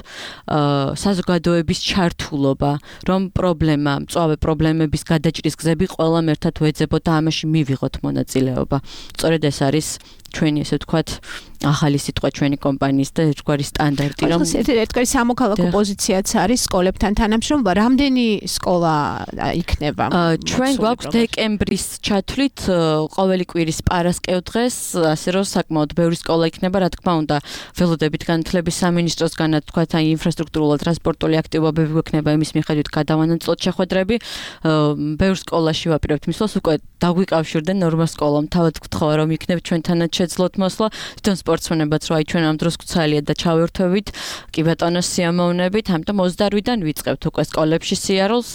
საზოგადოების ჩართულობა რომ პრობლემა მწვავე პრობლემების გადაჭრის გზები ყველამ ერთად ვეძებოთ და ამაში მივიღოთ მონაწილეობა სწორედ ეს არის ჩვენი ესე ვთქვათ ახალი სიტყვა ჩვენი კომპანიის და ერთგვარი სტანდარტი რომ ერთგვარი სამოქალაქო პოზიციაც არის სკოლებთან თანამშრომლობა რამდენი სკოლა იქნება ჩვენ გვაქვს დეკემბრის ჩათვლით ყოველი კვირის პარასკევდღეს ასე რომ საკმაოდ ბევრი სკოლა იქნება რა თქმა უნდა ველოდებით განათლების სამინისტროსგანაც თქვათ აი ინფრასტრუქტურული ტრანსპორტული აქტივობები გვექნება იმის მიხედვით გადავანაწილოთ შეხვედრები ბევრ სკოლაში ვაპირებთ მისვლას უკვე დაგვიკავშირდნენ ნორმა სკოლამ თავად გთხოვა რომ იქნებ ჩვენთანაც შეძლოთ მოსვლა თვითონ სპორტსმენებაც რო აი ჩვენ ამ დროს გცალია და ჩავერთვებით კი ბატონო სიამოვნებით ამიტომ ოცდაოთხიდან ვიწყებთ უკვე სკოლებში სიარულს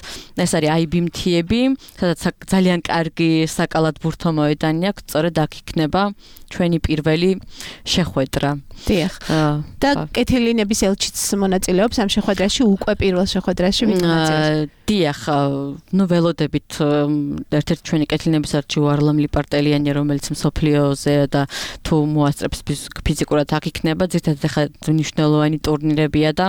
ეს არის აი ბი მთიები სადაც ძალიან კარგი საკალათბურთო მოედანი აქვს სწორედ აქ იქნება ჩვენი პირველი შეხვედრა დიახ და კეთილინების ელჩიც მონაწილეობს ამ შეხვედრაში უკვე პირველ შეხვედრაში ვინ მონაწილეობს დიახ ნუ ველოდებით ერთ-ერთი ჩვენი კეთილინების ელჩი ვარლამ ლიპარტელიანი რომელიც მსოფლიოზე და თუ მოასწრებს ფიზიკურად აქ იქნება ზედმეტად ახლა მნიშვნელოვანი ტურნირებია და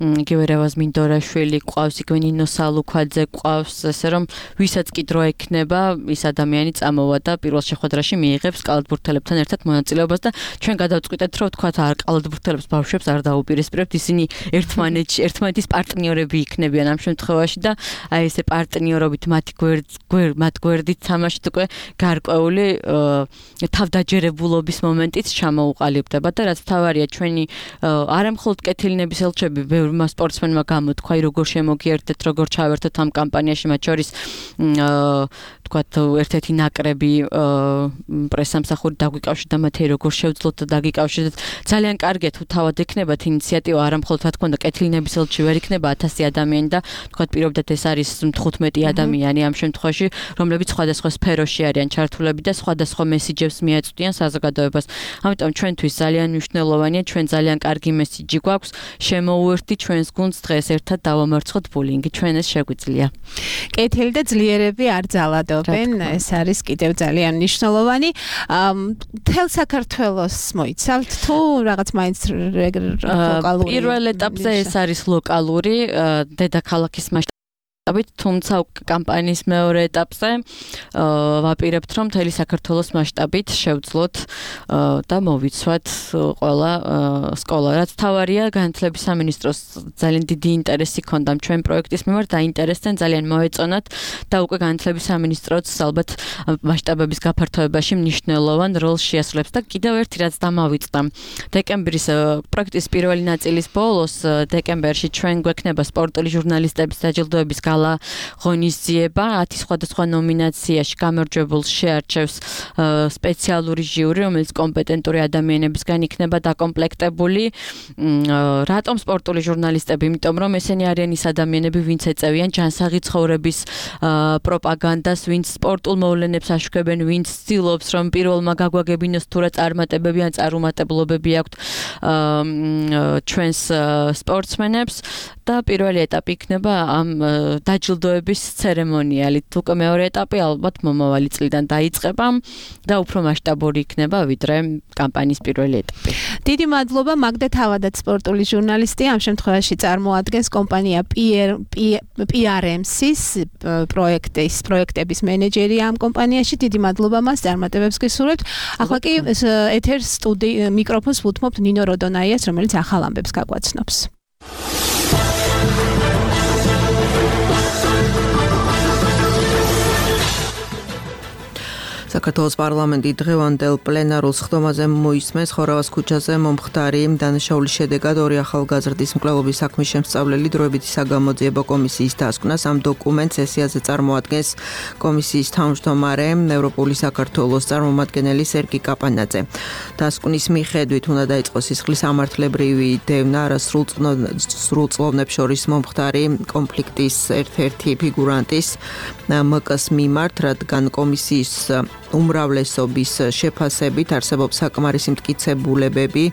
იგივე რევაზ მინდორაშვილი ყავს იგივე ნინო სალუქვაძე ყავს ესე რომ ვისაც კი დრო ექნება ის ადამიანი წამოვა და პირველ შეხვედრაში მიიღებს კალათბურთელებთან ერთად მონაწილეობას და ჩვენ გადავწყვიტეთ რომ თქვათ არ კალათბურთელებს ბავშვებს არ დაუპირისპირებთ ისინი ერთმანეთში ერთმანეთის პარტნიორები იქნებიან ამ შემთხვევაში და აი ესე პარტნიორობით მათი გვერდ მათ გვერდით თამაშით უკვე გარკვეული თავდაჯერებულობის მომენტიც ჩამოუყალიბდება და რაც მთავარია ჩვენი არამხოლოდ კეთილინების ელჩები ბევრმა სპორტსმენმა გამოთქვა აი როგორ შემოგიერთეთ როგორ ჩავერთოთ ამ კამპანიაში მათ შორის თქვათ ერთ-ერთი ნაკრები პრესამსახური დაგვიკავშირდა მათი როგორ შევძლოთ და დაგიკავშირდეთ ძალიან კარგია თუ თავად ექნებათ ინიციატივა არამხოლოდ რა თქმა უნდა კეთილინების ელჩი ვერ იქნება ათასი ადამიანი და თქვათ პირობდათ ეს არის თხუთმეტი ადამიანი ამ შემთხვევაში რომლებიც სხვადასხვა სფეროში არიან ჩართულები და სხვადასხვა მესიჯებს მიაწვდიან საზოგადოებას ამიტომ ჩვენთვის ძალიან მნიშვნელოვანია ჩვენ ძალიან კარგი მესიჯი გვაქვს შემოუერთდი ჩვენს გუნდს დღეს ერთად დავამარცხოთ ბულინგი ჩვენ ეს შეგვიძლია კეთილი და ძლიერები არ ძალადობენ ეს არის კიდევ ძალიან მნიშვნელოვანი მთელ საქართველოს მოიცავთ თუ რაღაც მაინც ლოკალური პირველ ეტაპზე ეს არის ლოკალური დედაქალაქის თუმცა კამპანიის მეორე ეტაპზე ვაპირებთ, რომ მთელი საქართველოს მასშტაბით შევძლოთ და მოვიცვათ ყველა სკოლა. რაც თავარია, განათლების სამინისტროს ძალიან დიდი ინტერესი ჰქონდა ჩვენ პროექტის მიმართ, დაინტერესდნენ, ძალიან მოეწონათ და უკვე განათლების სამინისტროც ალბათ მასშტაბების გაფართოებაში მნიშვნელოვან როლს შეასრულებს და კიდევ ერთი რაც დამავიწყდა. დეკემბრის პროექტის პირველი ნაწილის ბოლოს დეკემბერში ჩვენ გვექნება სპორტული ჟურნალისტების დაჯილდოების გალა ღონისძიება, ათი სხვადასხვა ნომინაციაში გამარჯვებულს შეარჩევს სპეციალური ჟიური, რომელიც კომპეტენტური ადამიანებისგან იქნება დაკომპლექტებული. რატომ სპორტული ჟურნალისტები? იმიტომ რომ ესენი არიან ის ადამიანები, ვინც ეწევიან ჯანსაღი ცხოვრების პროპაგანდას, ვინც სპორტულ მოვლენებს აშუქებენ, ვინც ცდილობს რომ პირველმა გაგვაგებინოს თუ რა წარმატებები ან წარუმატებლობები აქვთ ჩვენს სპორტსმენებს და პირველი ეტაპი იქნება ამ დაჯილდოების ცერემონიალით. უკვე მეორე ეტაპი ალბათ მომავალი წლიდან დაიწყება და უფრო მასშტაბური იქნება ვიდრე კამპანიის პირველი ეტაპი. დიდი მადლობა მაგდა თავადაც სპორტული ჟურნალისტი, ამ შემთხვევაში წარმოადგენს კომპანია პი არ ემ სის პროექტის პროექტების მენეჯერი ამ კომპანიაში. დიდი მადლობა მას, წარმატებებს გისურვებთ. ახლა კი ეთერს სტუდიო მიკროფონს ვუთმობთ ნინო როდონაიას, რომელიც ახალ ამბებს გაგვაცნობს. საქართველოს პარლამენტი დღევანდელ პლენარულ სხდომაზე მოისმენს ხორავას ქუჩაზე მომხდარი დანაშაულის შედეგად ორი ახალგაზრდის მკვლელობის საქმის შემსწავლელი დროებითი საგამოძიებო კომისიის დასკვნას. ამ დოკუმენტს სესიაზე წარმოადგენს კომისიის თავმჯდომარე ევროპული საქართველოს წარმომადგენელი სერგი კაპანაძე. დასკვნის მიხედვით უნდა დაიწყოს სისხლის ამართლებრივი დევნა სრულწლოვნებს შორის მომხდარი კონფლიქტის ერთ-ერთი ფიგურანტის მკ-ს მიმართ, რადგან კომისიის უმრავლესობის შეფასებით არსებობს საკმარისი მტკიცებულებები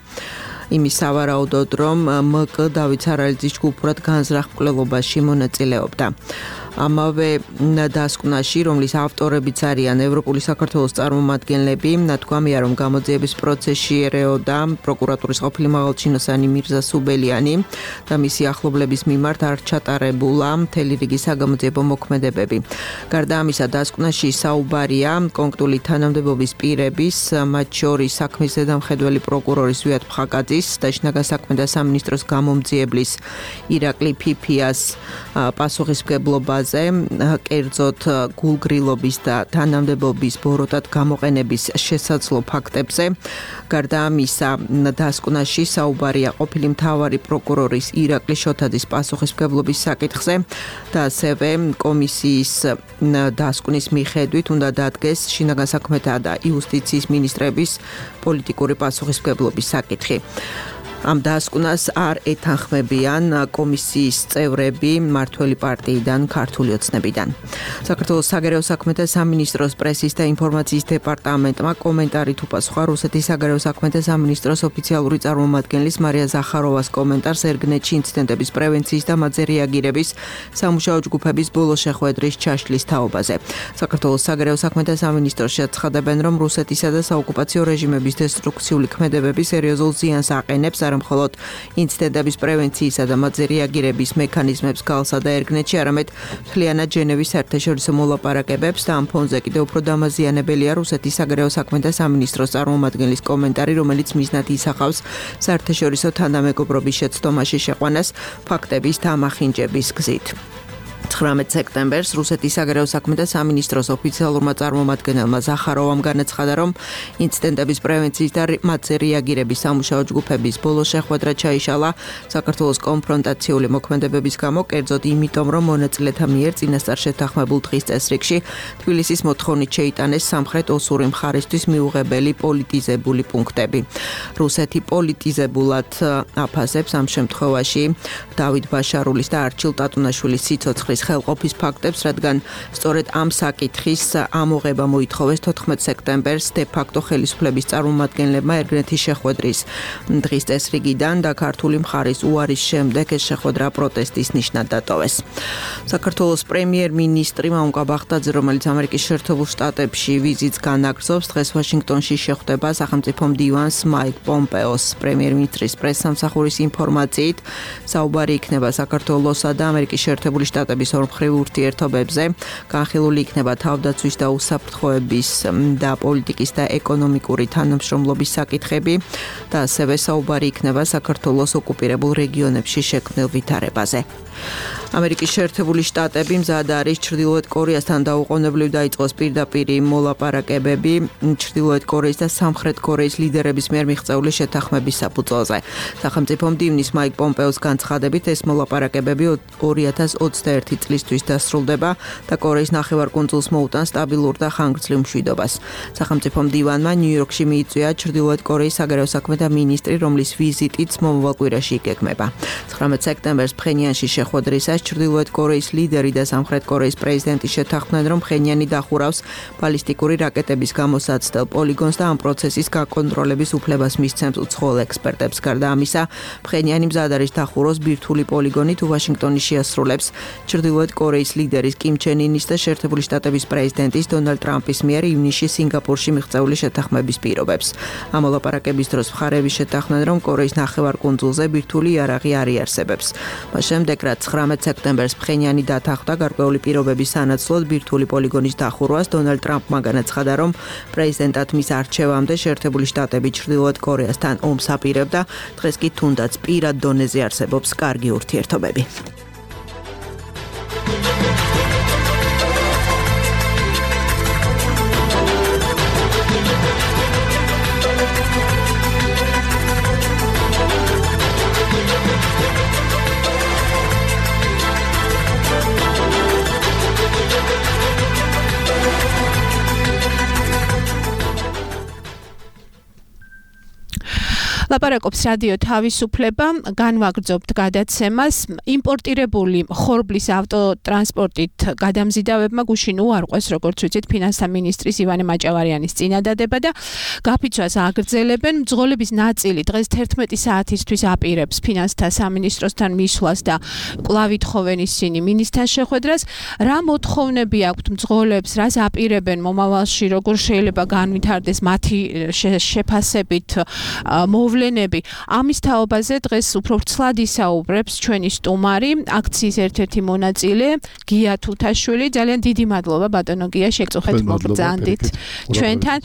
იმის სავარაუდოდ, რომ მკ დავით სარალიძის ჯგუფურად განზრახ მკვლელობაში მონაწილეობდა. ამავე დასკვნაში, რომლის ავტორებიც არიან ევროპული საქართველოს წარმომადგენლები, ნათქვამია, რომ გამოძიების პროცესში ერეოდა პროკურატურის ყოფილი მაღალჩინოსანი მირზა სუბელიანი და მისი ახლობლების მიმართ არ ჩატარებულა მთელი რიგი საგამოძიებო მოქმედებები. გარდა ამისა, დასკვნაში საუბარია კონკრეტული თანამდებობის პირების, მათ შორის საქმის ზედამხედველი პროკურორის ვიად ფხაკაძის და შინაგან საქმეთა სამინისტროს გამომძიებლის ირაკლი ფიფიას პასუხისმგებლობა კერძოდ გულგრილობის და თანამდებობის ბოროტად გამოყენების შესაძლო ფაქტებზე. გარდა ამისა, დასკვნაში საუბარია ყოფილი მთავარი პროკურორის ირაკლი შოთაძის პასუხისმგებლობის საკითხზე და ასევე კომისიის დასკვნის მიხედვით უნდა დადგეს შინაგან საქმეთა და იუსტიციის მინისტრების პოლიტიკური პასუხისმგებლობის საკითხი. ამ დასკვნას არ ეთანხმებიან კომისიის წევრები მმართველი პარტიიდან, ქართული ოცნებიდან. საქართველოს საგარეო საქმეთა სამინისტროს პრესის და ინფორმაციის დეპარტამენტმა კომენტარით უპასუხა რუსეთის საგარეო საქმეთა სამინისტროს ოფიციალური წარმომადგენლის მარია ზახაროვას კომენტარს ერგნეთში ინციდენტების პრევენციის და მათზე რეაგირების სამუშაო ჯგუფების ბოლო შეხვედრის ჩაშლის თაობაზე. საქართველოს საგარეო საქმეთა სამინისტროში აცხადებენ, რომ რუსეთისა და საოკუპაციო რეჟიმების დესტრუქციული ქმედებები სერიოზულ ზიანს აყენებს მხოლოდ ინციდენტების პრევენციისა და მათზე რეაგირების მექანიზმებს გალსა და ერგნეთში, არამედ მთლიანად ჟენევის საერთაშორისო მოლაპარაკებებს და ამ ფონზე კიდევ უფრო დამაზიანებელია რუსეთის საგარეო საქმეთა სამინისტროს წარმომადგენლის კომენტარი, რომელიც მიზნად ისახავს საერთაშორისო თანამეგობრობის შეცდომაში შეყვანას ფაქტების დამახინჯების გზით. ცხრამეტ სექტემბერს რუსეთის საგარეო საქმეთა სამინისტროს ოფიციალურმა წარმომადგენელმა ზახაროვამ განაცხადა, რომ ინციდენტების პრევენციის და მათზე რეაგირების სამუშაო ჯგუფების ბოლო შეხვედრა ჩაიშალა საქართველოს კონფრონტაციული მოქმედებების გამო, კერძოდ იმიტომ, რომ მონაწილეთა მიერ წინასწარ შეთანხმებულ დღის წესრიგში თბილისის მოთხოვნით შეიტანეს სამხრეთ ოსური მხარისთვის მიუღებელი პოლიტიზებული პუნქტები. რუსეთი პოლიტიზებულად აფასებს ამ შემთხვევაში დავით ბაშარულის და არჩილ ტატუნაშვილის სიცოცხლის ხელყოფის ფაქტებს, რადგან სწორედ ამ საკითხის ამოღება მოითხოვეს თოთხმეტ სექტემბერს დე ფაქტო ხელისუფლების წარმომადგენლებმა ერგნეთის შეხვედრის დღის წესრიგიდან და ქართული მხარის უარის შემდეგ ეს შეხვედრა პროტესტის ნიშნად დატოვეს. საქართველოს პრემიერ-მინისტრი მამუკა ბახტაძე, რომელიც ამერიკის შეერთებულ შტატებში ვიზიტს განაგრძობს, დღეს ვაშინგტონში შეხვდება სახელმწიფო მდივანს მაიკ პომპეოს. პრემიერ-მინისტრის პრესსამსახურის ინფორმაციით, საუბარი იქნება საქართველოსა და ამერიკის შეერთებული შტატების შეტაკების ორმხრივ ურთიერთობებზე. განხილული იქნება თავდაცვის და უსაფრთხოების და პოლიტიკის და ეკონომიკური თანამშრომლობის საკითხები და ასევე საუბარი იქნება საქართველოს ოკუპირებულ რეგიონებში შექმნილ ვითარებაზე. ამერიკის შეერთებული შტატები მზად არის ჩრდილოეთ კორეასთან დაუყოვნებლივ დაიწყოს პირდაპირი მოლაპარაკებები ჩრდილოეთ კორეის და სამხრეთ კორეის ლიდერების მიერ მიღწეული შეთანხმების საფუძველზე. სახელმწიფო მდივნის მაიკ პომპეოს განცხადებით ეს მოლაპარაკებები ორი ათას ოცდაერთი წლისთვის დასრულდება და კორეის ნახევარკუნძულს მოუტანს სტაბილურ და ხანგრძლივ მშვიდობას. სახელმწიფო მდივანმა ნიუ-იორკში მიიწვია ჩრდილოეთ კორეის საგარეო საქმეთა მინისტრი, რომლის ვიზიტიც მომავალ კვირაში იგეგმება. ცხრამეტ სექტემბერს ფხენიანში შეხვედრისას ჩრდილოეთ კორეის ლიდერი და სამხრეთ კორეის პრეზიდენტი შეთანხმდნენ, რომ ფხენიანი დახურავს ბალისტიკური რაკეტების გამოსაცდელ პოლიგონს და ამ პროცესის გაკონტროლების უფლებას მისცემს უცხოელ ექსპერტებს. გარდა ამისა, ფხენიანი მზად არის დახუროს ბირთვული პოლიგონი თუ ვაშინგტონი შეასრულებს ჩრდილოეთ კორეის ლიდერის კიმ ჩენ ინის და შეერთებული შტატების პრეზიდენტის დონალდ ტრამპის მიერ ივნისში სინგაპურში მიღწეული შეთანხმების პირობებს. ამ მოლაპარაკების დროს მხარეები შეთანხმდნენ, რომ კორეის ნახევარკუნძულზე ბირთვული იარაღი არ იარსებებს. მას შემდეგ, რაც ცხრამეტ სექტემბერს ფხენიანი დათანხმდა გარკვეული პირობების სანაცვლოდ ბირთვული პოლიგონის დახურვას, დონალდ ტრამპმა განაცხადა, რომ პრეზიდენტად მის არჩევამდე შეერთებული შტატები ჩრდილოეთ კორეასთან ომს აპირებდა, დღეს კი თუნდაც პირად დონეზე არსებობს კარგი ურთიერთობები. ლაპარაკობს რადიო თავისუფლება, განვაგრძობთ გადაცემას. იმპორტირებული ხორბლის ავტოტრანსპორტით გადამზიდავებმა გუშინ უარყვეს, როგორც ვიცით, ფინანსთა მინისტრის ივანე მაჭავარიანის წინადადება და გაფიცვას აგრძელებენ. მძღოლების ნაწილი დღეს თერთმეტი საათისთვის აპირებს ფინანსთა სამინისტროსთან მისვლას და კვლავ ითხოვენ ისინი მინისტრთან შეხვედრას. რა მოთხოვნები აქვთ მძღოლებს, რას აპირებენ მომავალში, როგორ შეიძლება განვითარდეს მათი შეფასებით მოვლენები. ამის თაობაზე დღეს უფრო ვრცლად ისაუბრებს ჩვენი სტუმარი, აქციის ერთ-ერთი მონაწილე, გია თუთაშვილი. ძალიან დიდი მადლობა ბატონო გია, შეგწუხეთ მოგბრძანდით ჩვენთან.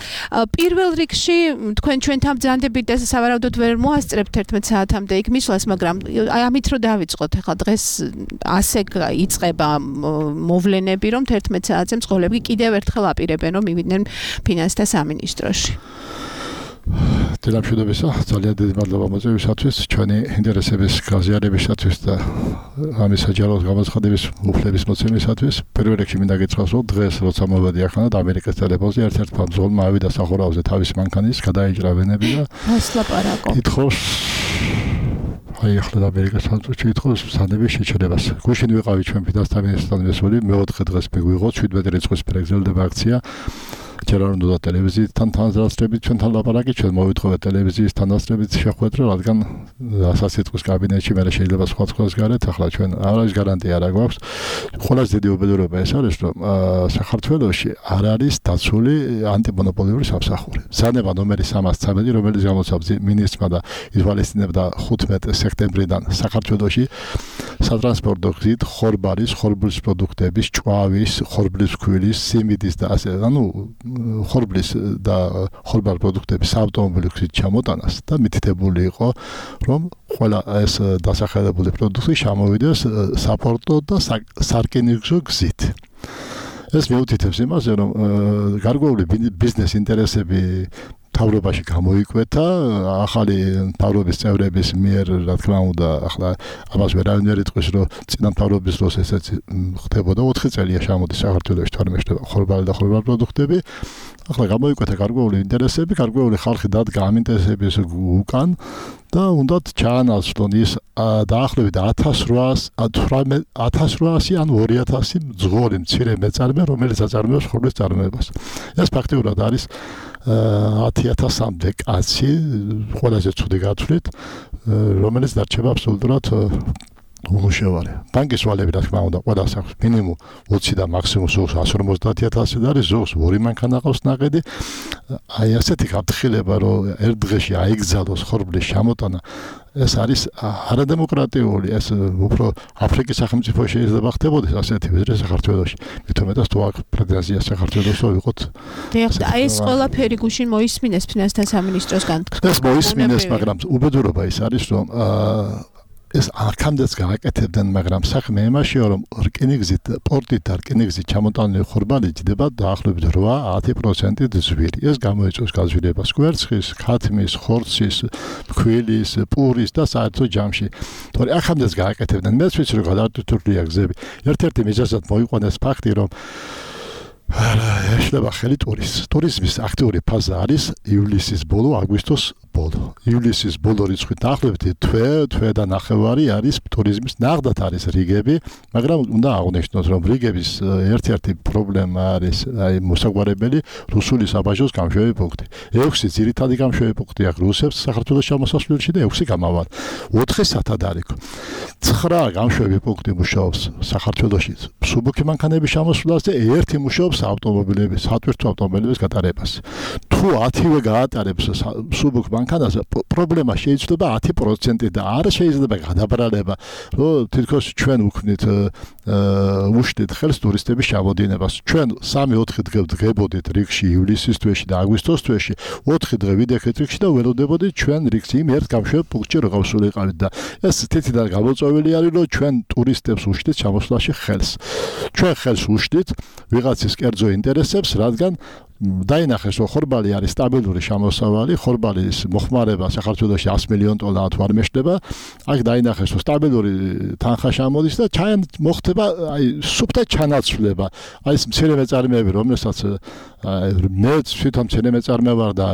პირველ რიგში თქვენ ჩვენთან ბრძანდებით და სავარაუდოდ ვერ მოასწრებთ თერთმეტ საათამდე იქ მისვლას, მაგრამ ამით რომ დავიწყოთ, ახლა დღეს ასე იწყება მოვლენები, რომ თერთმეტ საათზე მძღოლები კიდევ ერთხელ აპირებენ, რომ მივიდნენ ფინანსთა სამინისტროში. Დილამშვიდობისა, ძალიან დიდი მადლობა მოწვევისათვის, ჩვენი ინტერესების გაზიარებისათვის და ამის საჯარო გამოცხადების უფლების მოცემისათვის. პირველ რიგში მინდა გითხრას, რომ დღეს როცა მოვედი ახლა და ამერიკის ტელეფონზე ერთ-ერთ მძღოლმა ავიდა სახურავზე თავის მანქანის, გადაიჭრა ვენები და მას ლაპარაკო. ითხოვს აი ახლა ამერიკის სამწუხაროდ ითხოვს სანდების შეჩერებას. გუშინ ვიყავი ჩვენ ფინანსთა მინისტრთან მესველი, მეოთხე დღეს მიგვიღო შვიდმეტი რიცხვის პრეგზელდება აქცია. ჯერ არ უნდა ტელევიზიისთან თანასწრებით ჩვენთან ლაპარაკი, ჩვენ მოვითხოვეთ ტელევიზიის თანასწრებით შეხვედრა, რადგან სასიტყვის კაბინეტში მე შეიძლება სხვა სხვას გარეთ, ახლა ჩვენ არ არის გარანტია რა გვაქვს. ყველაზე დიდი უბედურება ეს არის, რომ საქართველოში არ არის დაცული ანტიმონოპოლიური სამსახური. ზანება ნომერი სამას ცამეტი, რომელიც გამოსცემს მინისტრმა და ითვალისწინებდა ხუთმეტი სექტემბრიდან საქართველოში სატრანსპორტო გზით ხორბალის, ხორბლის პროდუქტების, ჭვავის, ხორბლის ქვილის, სიმინდის და ასე, ანუ ხორბლის და ხორბალ პროდუქტების ავტომობილი გზით ჩამოტანას და მითითებული იყო, რომ ყველა ეს დასახელებული პროდუქტი ჩამოვიდეს საპორტო და სარკინიგზო გზით. ეს მეუთითებს იმაზე, რომ გარკვეული ბიზნეს ინტერესები თავრობაში გამოიკვეთა, ახალი თავრობის წევრების მიერ, რა თქმა უნდა, ახლა ამას ვერავინ ვერ იტყვის, რომ წინა თავრობის დროს ესეც ხდებოდა, ოთხი წელია ჩამოდის საქართველოში თორმეტ ხორბალი და ხორბალ პროდუქტები. ახლა გამოიკვეთა გარკვეული ინტერესები, გარკვეული ხალხი დადგა ამ ინტერესების უკან და უნდათ ჩაანაცვლონ ის დაახლოებით ათას რვაასი ან ორი ათასი მძღოლი მცირე მეწარმე, რომელიც აწარმოებს ხორბლის წარმოებას. ეს ფაქტიურად არის ათი ათასამდე კაცი, ყველაზე ცუდი გათვლით, რომელიც დარჩება აბსოლუტურად უმუშევარი. ბანკის ვალები, რა თქმა უნდა, ყველას აქვს მინიმუმ ოცი და მაქსიმუმ ზოგს εκατს ორმოცდაათი ათასი და არის ზოგს ორი მანქანა ყავს ნაყედი. აი ასეთი გაფრთხილება, რომ ერთ დღეში აიგზალოს ხორბლის ჩამოტანა, ეს არის არადემოკრატიული, ეს უფრო აფრიკის სახელმწიფო შეიძლება ხდებოდეს ასეთი ვიდრე საქართველოში. მithumetas თუ აქ პრეტენზია საქართველოს ვიყოთ. დიახ, ეს ყველაფერი გუშინ მოისმინეს ფინანსთა სამინისტროსგან. ეს მოისმინეს, მაგრამ უბედურობა ის არის, რომ ეს აქამდეც გააკეთებდნენ, მაგრამ საქმე იმაშია, რომ რკინიგზით, პორტით და რკინიგზით ჩამოტანილი ხორბალი ჯდება დაახლოებით ორი-ათი პროცენტით ზვირი. ეს გამოიწვევს გაზვირებას კვერცხის, ქათმის, ხორცის, ფქვილის, პურის და საერთო ჯამში. თორე აქამდეც გააკეთებდნენ. მეც ვიცი, რომ გადატვირთულია გზები. ერთ-ერთი მიზეზად მოიყვანეს ფაქტი, რომ ეშლება ხელი ტურიზმის. ტურიზმის აქტიური ფაზა არის ივლისის ბოლო, აგვისტოს ბოლო. ივლისის ბოლო რიცხვით დაახლოებით თვე, თვე და ნახევარი არის ტურიზმის ნახდათ არის რიგები, მაგრამ უნდა აღვნიშნოთ, რომ რიგების ერთ-ერთი პრობლემა არის აი მოსაგვარებელი რუსული საბაჟოს გამშვევი პუნქტი. ექვსი ძირითადი გამშვევი პუნქტი აქვს რუსებს საქართველოს შემოსასვლელში და ექვსი გამავალ. ოთხი სათადარიგო. ცხრა გამშვევი პუნქტი მუშაობს საქართველოში მსუბუქი მანქანების შემოსვლას და ერთი მუშაობს ავტომობილების, სატვირთო ავტომობილების გატარებას. თუ ათივე გაატარებს მსუბუქ მანქანაზე, პრობლემა შეიძლება ათი პროცენტი და არ შეიძლება გადაბრალება, რომ თითქოს ჩვენ უქმნით უშდით ხელს ტურისტების ჩამოდინებას. ჩვენ სამი-ოთხი დღე ვდგებოდით რიგში ივლისის თვეში და აგვისტოს თვეში, ოთხი დღე ვიდექეთ რიგში და ველოდებოდით ჩვენ რიგში იმ ერთ გამშვებ პუნქტში რო გავსულიყავით და ეს თითიდან გამოწვეული არის, რომ ჩვენ ტურისტებს უშდით ჩამოსვლაში ხელს. ჩვენ ხელს უშდით ვიღაცის კერძო ინტერესებს, რადგან დაინახეს, რომ ხორბალი არის სტაბილური შემოსავალი, ხორბალის მოხმარება საქართველოში ათი მილიონი დოლარი თუ არ მეშლება, აქ დაინახეს, რომ სტაბილური თანხა შემოდის და ჩაიან მოხდება აი სუფთა ჩანაცვლება. აი ეს მცირე მეწარმეები, რომელსაც მე თვითონ მცირე მეწარმე ვარ და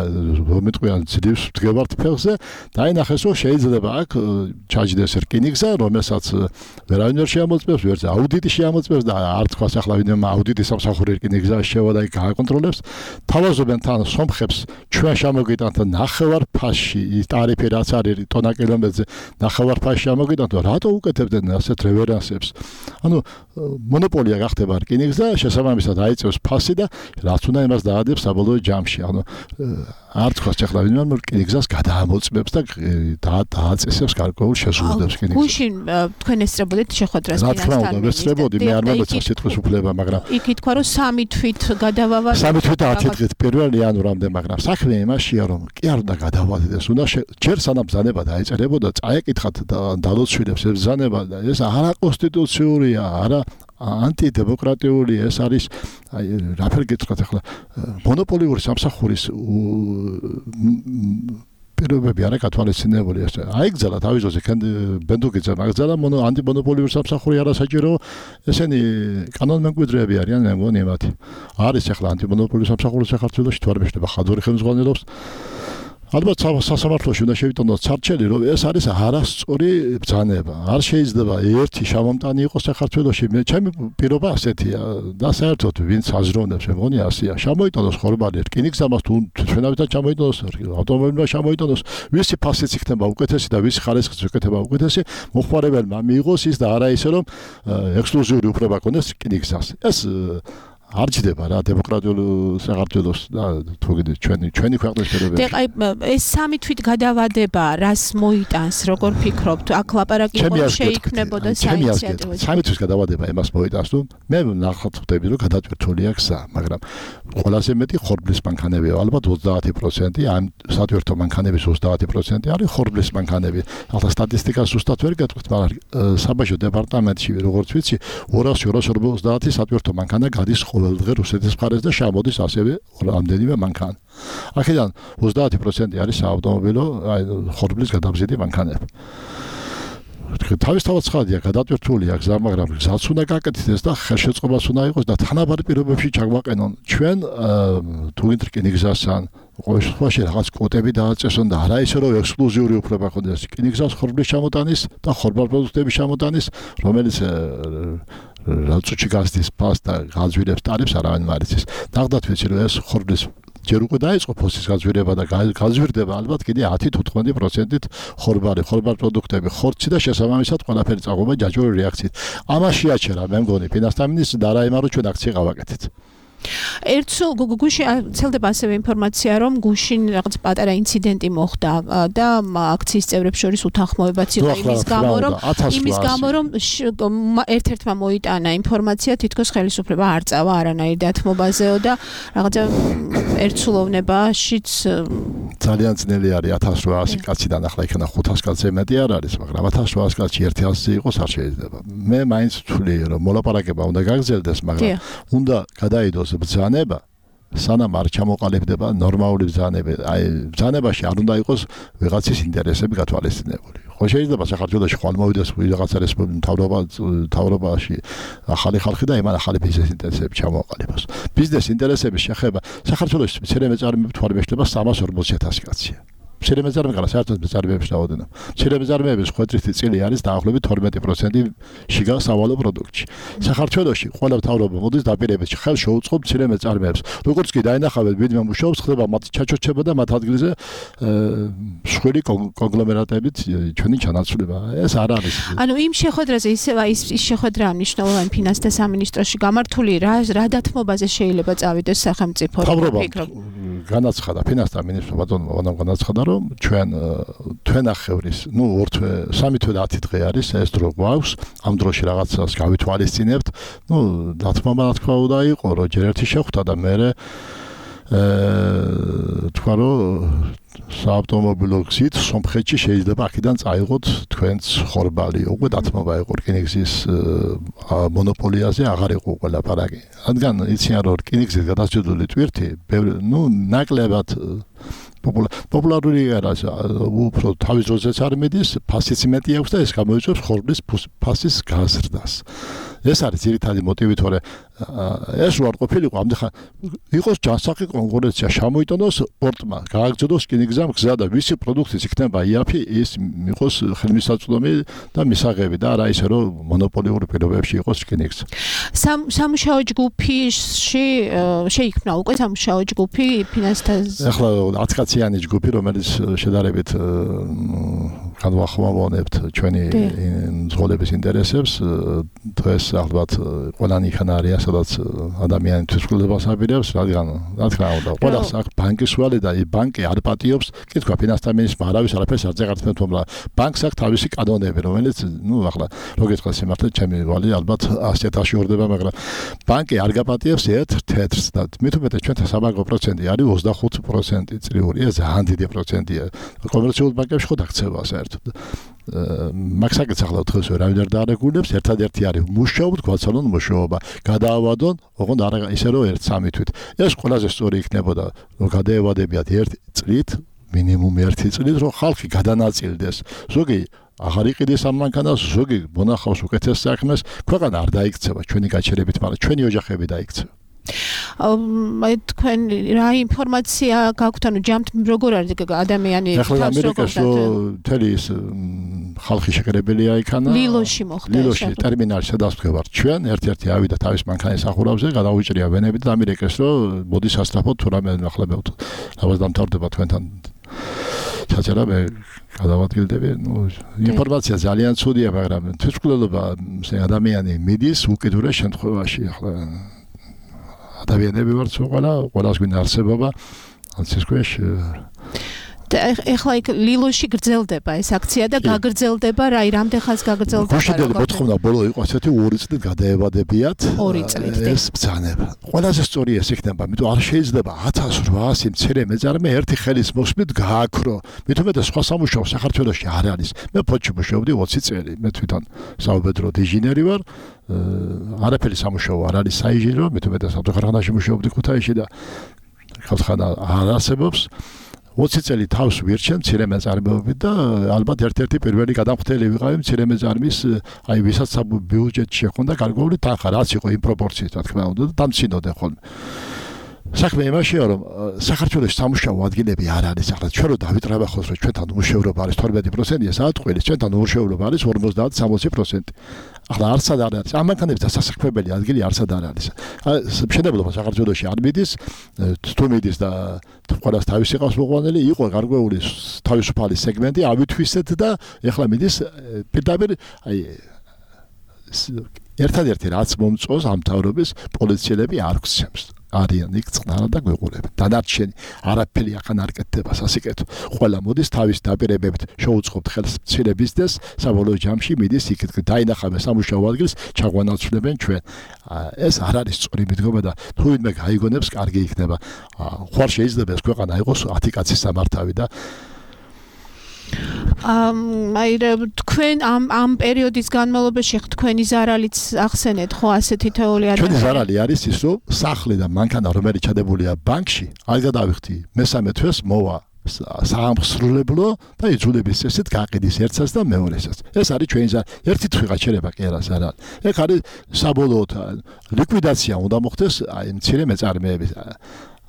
მომიტყვიან ძლივს ვდგევართ ფეხზე, დაინახეს, რომ შეიძლება აქ ჩაჯდეს რკინიგზა, რომელსაც ვერავინ ვერ შეამოწმებს, ვერც აუდიტი შეამოწმებს და არ თქვას ახლა ვინმე აუდიტის სამსახური რკინიგზაში შევა და იქ გააკონტროლებს. თავაზობენ თან სომხებს ჩვენ შემოგიტანთ ნახევარ ფასში ტარიფი რაც არის ტონა კილომეტრზე ნახევარ ფასში შემოგიტანთ რატო უკეთებდნენ ასეთ რევერანსებს ანუ მონოპოლია გახდება რკინიგზა შესაბამისად აიწევს ფასი და რაც უნდა იმას დაადებს საბოლოო ჯამში ანუ არ თქვას ახლა ვინმე რკინიგზას გადაამოწმებს და დააწესებს გარკვეულ შესრულებას რკინიგზას გუშინ თქვენ ესწრებოდით შეხვედრას ფინანსთან ესწრებოდი მე არ მომეცა სიტყვის უფლება მაგრამ იქ ითქვა რომ სამი თვით გადავავალ სამი თვით ათი დღით პირველ იანვრამდე მაგრამ საქმე იმაშია რომ კი არ უნდა გადავალდეს უნდა ჯერ სანამ ბრძანება დაეწერებოდა წაეკითხათ დალოცვილებს ეს ბრძანება და ეს არაკონსტიტუციურია არა ანტიდემოკრატიული ეს არის აი რაფერ გითხრათ ახლა მონოპოლიური სამსახურის პირობები არა გათვალისწინებული ეს აიგზალა თავის ძოზე ბენდუგიძე მაგზალა მონო ანტიმონოპოლიური სამსახური არასაჭირო ესენი კანონმემკვიდრეები არიან მე მგონი მათი არის ახლა ანტიმონოპოლიური სამსახური საქართველოში თუ არ მეშლება ხადური ხელმძღვანელობს ალბათ სასამართლოში უნდა შევიტანოთ სარჩელი რომ ეს არის არასწორი ბრძანება არ შეიძლება ერთი შავამტანი იყოს საქართველოში მე ჩემი პირობა ასეთია და საერთოდ ვინც აზროვნებს მე მგონი ასია შემოიტანოს ხორბალი რკინიგზამას თუ ჩვენავითაც ჩამოიტანოს ავტომობილმა შემოიტანოს ვისი ფასიც იქნება უკეთესი და ვისი ხარისხიც იქნება უკეთესი მოხმარებელმა მიიღოს ის და არა ისე რომ ექსკლუზიური უფლება ქონდეს რკინიგზას ეს არ ჯდება რა დემოკრატიულ საქართველოს და თუ გიდე ჩვენი ჩვენი ქვეყნის პირობებში. და აი ეს სამი თვით გადავადება რას მოიტანს როგორ ფიქრობთ? აქ ლაპარაკი იყო შეიქმნებოდა საინიციატივო. სამი თვის გადავადება იმას მოიტანს თუ მე ნახავთ ხდები რომ გადატვირთულია გზა, მაგრამ ყველაზე მეტი ხორბლის მანქანებია ალბათ ოცდაათი პროცენტი ამ სატვირთო მანქანების ოცდაათი პროცენტი არის ხორბლის მანქანები. ახლა სტატისტიკას ზუსტად ვერ გეტყვით, მაგრამ საბაჟო დეპარტამენტში როგორც ვიცი ორასი ორასი ოცდაათი სატვირთო მანქანა გადის დღე რუსეთის მხარეს და შემოდის ასევე რამდენიმე მანქანა. აქედან ოცდაათი პროცენტი არის საავტომობილო ხორბლის გადამზიდი მანქანები. თავისთავად ცხადია გადატვირთულია გზა, მაგრამ გზაც უნდა გაკეთდეს და ხელშეწყობას უნდა იყოს და თანაბარი პირობებში ჩაგვაყენონ. ჩვენ თუ ვინც რკინიგზასთან ყოველ შემთხვევაში რაღაც კვოტები დააწესონ და არა ისე რომ ექსკლუზიური უფლება ქონდეს რკინიგზას ხორბლის ჩამოტანის და ხორბალ პროდუქტების ჩამოტანის, რომელიც რაცუჩი გასდის ფას და გაზვირებს ტარიფს არავინ არ იცის. ნახდათ ვიცი რომ ეს ხორბლის ჯერ უკვე დაიწყო ფოსის გაზვირება და გაზვირდება ალბათ კიდე ათი თუ თხმეტი პროცენტით ხორბალი, ხორბალ პროდუქტები, ხორცი და შესაბამისად ყველაფერი წაღვება ჯაჭვური რეაქციით. ამაში აჩერა მე მგონი ფინანსთა მინისტრს და არა იმარო ჩვენ აქცია გავაკეთეთ. ერთსო გუგუში ცელდება ასევე ინფორმაცია, რომ გუშინ რაღაც პატარა ინციდენტი მოხდა და აქციის წევრებს შორის უთანხმოებაც იყო იმის გამო, რომ იმის გამო, რომ ერთ-ერთმა მოიტანა ინფორმაცია, თითქოს ხელისუფლება არ წავა არანაირ დათმობაზეო და რაღაცა ერთსულოვნებაშიც ძალიან ძნელი არის ათას რვაასი კაციდან ახლა იქნება ხუთას კაცზე მეტი არ არის, მაგრამ ათას რვაასი კაცი ერთი ასზე იყოს არ შეიძლება. მე მაინც ვთვლი, რომ მოლაპარაკება უნდა გაგრძელდეს, მაგრამ უნდა გადაიდოს ბრძანება, სანამ არ ჩამოყალიბდება ნორმალური ბრძანება. აი, ბრძანებაში არ უნდა იყოს ვიღაცის ინტერესები გათვალისწინებული. ხო შეიძლება საქართველოში ხვალ მოვიდეს ვიღაცა მთავრობა მთავრობაში ახალი ხალხი და იმან ახალი ბიზნეს ინტერესები ჩამოყალიბოს. ბიზნეს ინტერესების შეხება საქართველოში მცირე მეწარმეები თვალმეშლება სამას ორმოცი ათასი კაცია. მცირე მეწარმეები საერთოდ მეწარმეებს დაოდენა. მცირე მეწარმეების ხვედრითი წილი არის დაახლოებით თორმეტი პროცენტი შიგა სავალო პროდუქტში. საქართველოში ყველა მთავრობა მოდის დაპირებებში ხელ შეუწყობს მცირე მეწარმეებს. როგორც კი დაინახავენ ვინმე მუშაობს, ხდება მათ ჩაჩოჩება და მათ ადგილზე მსხვილი კონგლომერატებით ჩვენი ჩანაცვლება. ეს არ არის. ანუ იმ შეხვედრაზე ისევ ის შეხვედრა მნიშვნელოვანი ფინანსთა სამინისტროში გამართული რა რა დათმობაზე შეიძლება წავიდეს სახელმწიფო ფიქრობ. განაცხადა ფინანსთა მინისტრმა ბატონმა განაცხადა რომ ჩვენ თვენახევრის, ნუ ორ თვე, სამი თვე და ათი დღე არის ეს დრო გვაქვს, ამ დროში რაღაცას გავითვალისწინებთ. ნუ დათმობა რა თქმა უნდა იყო, რომ ჯერ ერთი შეხვდა და მე თქვა რომ საავტომობილო გზით სომხეთში შეიძლება აქედან წაიღოთ თქვენც ხორბალი. უკვე დათმობა იყო რკინიგზის მონოპოლიაზე აღარ იყო უკვე ლაპარაკი. რადგან იციან რომ რკინიგზის გადასჯდული ტვირთი, ნუ ნაკლებად პოპულარული არა, უფრო თავის დროზეც არ მიდის, ფასიც მეტი აქვს და ეს გამოიწვევს ხორბლის ფასის გაზრდას. ეს არის ძირითადი მოტივი, თორე ეს რო არ ყოფილიყო, ამდენ იყოს ჯანსაღი კონკურენცია, შემოიტანოს პორტმა, გააგრძელოს რკინიგზამ გზა და ვისი პროდუქტიც იქნება იაფი, ის იყოს ხელმისაწვდომი და მისაღები და არა ისე რომ მონოპოლიური პირობებში იყოს რკინიგზა. სამუშაო ჯგუფში შეიქმნა უკვე სამუშაო ჯგუფი ფინანსთა ახლა ათი კაციანი ჯგუფი, რომელიც შედარებით განვახმოვანებთ ჩვენი მძღოლების ინტერესებს, დღეს ალბათ ყველანი იქან არიან, სადაც ადამიანი თვითმკვლელობას აპირებს, რადგან რა თქმა უნდა, ყველას აქ ბანკის ვალე და ბანკი არ პატიობს, კი თქვა ფინანსთა მინისტრმა არავის არაფერს არ ზეგართმევთ, მაგრამ ბანკს აქვს თავისი კანონები, რომელიც, ნუ ახლა რო გითხრა სიმართლე, ჩემი ვალი ალბათ ასი ათასში ორდება, მაგრამ ბანკი არ გაპატიებს ერთ თეთრს და მით უმეტეს ჩვენთან საბანკო პროცენტი არის ოცდახუთი პროცენტი წლიური, ეს ძალიან დიდი პროცენტია. კომერციულ ბანკებში ხო დაქცევა საერთოდ. მაქსაკეც ახლა დღეს ვერავინ არ დაარეგულებს, ერთადერთი არის მუშაობთ, გვაცალონ მუშაობა, გადაავადონ, ოღონდ არა ისე რომ ერთ სამი თვით. ეს ყველაზე სწორი იქნებოდა, რომ გადაევადებიათ ერთ წლით, მინიმუმ ერთი წლით, რომ ხალხი გადანაწილდეს. ზოგი აღარ იყიდეს ამ მანქანას, ზოგი მონახავს უკეთეს საქმეს, ქვეყანა არ დაიქცევა ჩვენი გაჩერებით, მაგრამ ჩვენი ოჯახები დაიქცევა. აი თქვენ რა ინფორმაცია გაქვთ, ანუ ჯამთ როგორ არის ადამიანი თავს როგორ თელი ის ხალხი შეკრებელია იქანა ლილოში მოხდა ლილოში ტერმინალში სადაც ვდგევართ ჩვენ ერთ-ერთი ავიდა თავის მანქანის ახურავზე გადაუჭრია ვენები და ამერიკეს რომ მოდი სასწრაფოდ თუ რამე ნახლებავთ რაღაც დამთავრდება თქვენთან ჩაწერა მე გადავადგილდები ნუ ინფორმაცია ძალიან ცუდია მაგრამ თვითმკვლელობა ადამიანი მიდის უკიდურეს შემთხვევაში ახლა ადამიანები ვართ ყველა ყველას გვინდა არსებობა ამის ქვეშ და ეხლა იქ ლილოში გრძელდება ეს აქცია და გაგრძელდება რა რამდენ ხანს გაგრძელდება გუშინდელი მოთხოვნა ბოლო იყო ასეთი ორი წლით გადაევადებიათ ორი წლით ეს ბრძანება ყველაზე სწორი ეს იქნება იმიტომ არ შეიძლება ათას რვაასი მცირე მეწარმე ერთი ხელის მოსმით გააქრო მით უმეტეს სხვა სამუშაო საქართველოში არ არის მე ფოთში მუშაობდი ოცი წელი მე თვითონ საუბედრო ინჟინერი ვარ არაფერი სამუშაო არ არის საინჟინრო მე თვითონ ავტოქარხანაში მუშაობდი ქუთაისში და ქარხანა არ არსებობს ოცი წელი თავს ვირჩენ მცირე მეწარმეობით და ალბათ ერთ-ერთი პირველი გადამხდელი ვიყავი მცირე მეწარმის აი ვისაც ბიუჯეტში ჰქონდა გარკვეული თანხა რაც იყო იმ პროპორციით რა თქმა უნდა და დამცინოდნენ ხოლმე საქმე იმაშია რომ საქართველოს სამუშაო ადგილები არ არის ახლა ჩვენ რო დავიტრაბახოთ რომ ჩვენთან უმუშევრობა არის თორმეტი პროცენტია საათყვილის ჩვენთან უმუშევრობა არის ორმოცდაათ სამოცი პროცენტი ახლა არსად არ არის ამ მანქანების დასასაქმებელი ადგილი არსად არ არის მშენებლობა საქართველოში არ მიდის თუ მიდის და ყველას თავისი ყავს მოყვანილი იყო გარკვეული თავისუფალი სეგმენტი ავითვისეთ და ეხლა მიდის პირდაპირ აი ერთადერთი რაც მომწონს ამ თავრობის პოლიციელები არ გცემს არიან იქ წყნარა და გვეყურებენ. დანარჩენი არაფერი ახან არ კეთდება სასიკეთო. ყველა მოდის თავის დაპირებებით შეუწყობთ ხელს მცირე ბიზნესს, საბოლოო ჯამში მიდის იქით დაინახავენ სამუშაო ადგილს, ჩაგვანაცვლებენ ჩვენ. ეს არ არის სწორი მიდგომა და თუ ვინმე გაიგონებს, კარგი იქნება. ხوار შეიძლება ეს ქვეყანა იყოს ათი კაცის სამართავი და ამ აი თქვენ ამ ამ პერიოდის განმავლობაში თქვენი ზარალიც ახსენეთ ხო ასეთი თეორია არის. ჩვენი ზარალი არის ის რომ სახლი და მანქანა რომელიც ჩადებულია ბანკში, არ გადავიხდი მესამე თვეს მოვა საამსრულებლო და იძულების წესით გაყიდის ერთსაც და მეორესაც. ეს არის ჩვენი ზარალი. ერთი თვე გაჩერება კი არა ზარალი. ეგ არის საბოლოოდ ლიკვიდაცია უნდა მოხდეს აი მცირე მეწარმეების.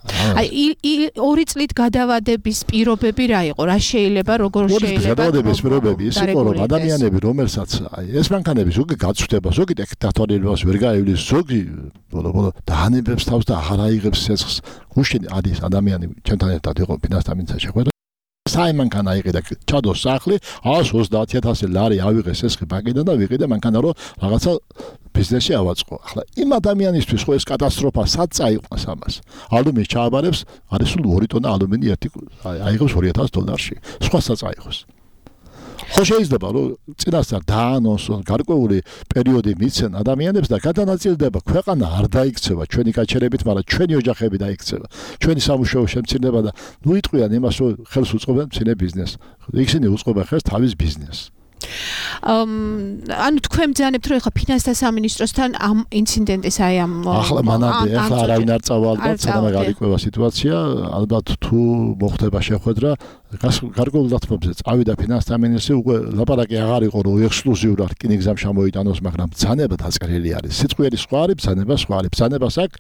აი ორი წლით გადავადების პირობები რა იყო? რა შეიძლება, როგორ შეიძლება? გადავადების პირობები ის იყო, რომ ადამიანები, რომელსაც აი ეს მანქანები ზოგი გაწვდება, ზოგი დიქტატორიელობას ვერ გაივლის, ზოგი ბოლო-ბოლო დაანებებს თავს და აღარ აიღებს სეცხს. გუშინ არის ადამიანი, ჩემთან ერთად იყო ფინანსთა მინისტრია შეხვედრა. საიმანქანა იყიდა, ჩადო სახლი, ას ოცდაათი ათასი ლარი ავიღე სესხი ბანკიდან და ვიყიდე მანქანა რომ რაღაცა ბიზნესი ავაწყო. ახლა იმ ადამიანისთვის ხო ეს კატასტროფა სად წაიყვანს ამას? ალუმინის ჩააბარებს, არის სულ ორი ტონა ალუმინი ერთი აიღებს ორი ათას დოლარში. სხვა სად წაიღოს? ხო შეიძლება რომ წინასწარ დაანონსონ გარკვეული პერიოდი მიცენ ადამიანებს და გადანაწილდება ქვეყანა არ დაიქცევა ჩვენი გაჩერებით, მაგრამ ჩვენი ოჯახები დაიქცევა. ჩვენი სამუშაო შემცირდება და ნუ იტყვიან იმას რომ ხელს უწყობენ მცირე ბიზნესს. ისინი უწყობენ ხელს თავის ბიზნესს. ანუ თქვენ ბრძანებთ რომ ეხლა ფინანსთა სამინისტროსთან ამ ინციდენტის აი ამ ახლა მანამდე ახლა არავინ არ წავა ალბათ სანამ გაიკვევა სიტუაცია ალბათ თუ მოხდება შეხვედრა გარკვეულ დათმობებზე წავიდა ფინანსთა მინისტრი უკვე ლაპარაკი აღარ იყო რომ ექსკლუზიურად რკინიგზამ შემოიტანოს მაგრამ ბრძანება დაწყრილი არის სიტყვიერი სხვა არის ბრძანება სხვა არის ბრძანებას აქვს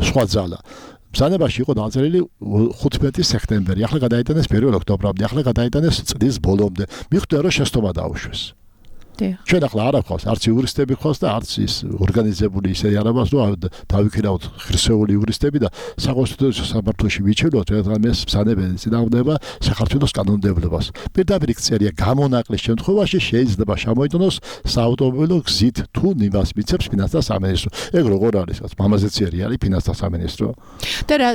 სხვა ძალა ბრძანებაში იყო დაწერილი ხუთმეტი სექტემბერი. ახლა გადაიტანეს პირველ ოქტომბრამდე, ახლა გადაიტანეს წლის ბოლომდე. მიხვდა რომ შეცდომა დაუშვეს. ჩვენ ახლა არ აქვს არც იურისტები ხავს და არც ის ორგანიზებული ისე არაბას რომ დავიქირავთ ხრსეული იურისტები და საკონსტიტუციო სამართლოში ვიჩერდოთ ერთგამეს ბრძანებელი წინააღმდება საქართველოს კანონმდებლობას. პირდაპირ წერია გამონაკლის შემთხვევაში შეიძლება შემოიტანოს საავტომობილო გზით თუ იმას მიცემს ფინანსთა სამინისტრო. ეგ როგორ არის? მამაზე ციერი არის ფინანსთა სამინისტრო. და რა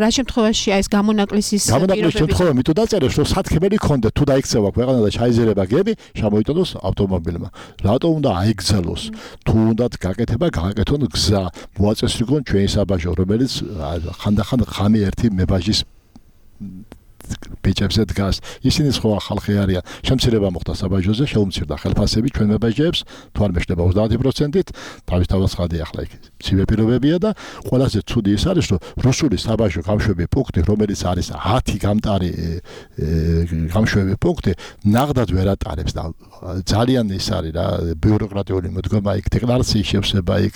რა შემთხვევაში აი ეს გამონაკლის ის გამონაკლის შემთხვევა მითო დაწერეს რომ სათქმელი ქონდეთ თუ დაიქცევა ქვეყანა და ჩაიზერება გები შემოიტანოს ავტომობილო რატო უნდა აიგზელოს თუ უნდათ გაკეთება გააკეთონ გზა მოაწესრიგონ ჩვენი საბაჟო რომელიც ხანდახან ხამი ერთი მებაჟის ბიჭებზე დგას ისინი სხვა ხალხი არიან შემცირება მოხდა საბაჟოზე შეუმცირდა ხელფასები ჩვენ მებაჟეებს თუ არ მეშლება ოცდაათი პროცენტით თავისთავად ხადი ახლა იქ ცივი პირობებია და ყველაზე ცუდი ის არის რომ რუსული საბაჟო გამშვები პუნქტი რომელიც არის ათი გამტარი გამშვები პუნქტი ნაღდად ვერ ატარებს და ძალიან ის არის რა ბიუროკრატიული მოდგომა იქ დეკლარაციის შევსება იქ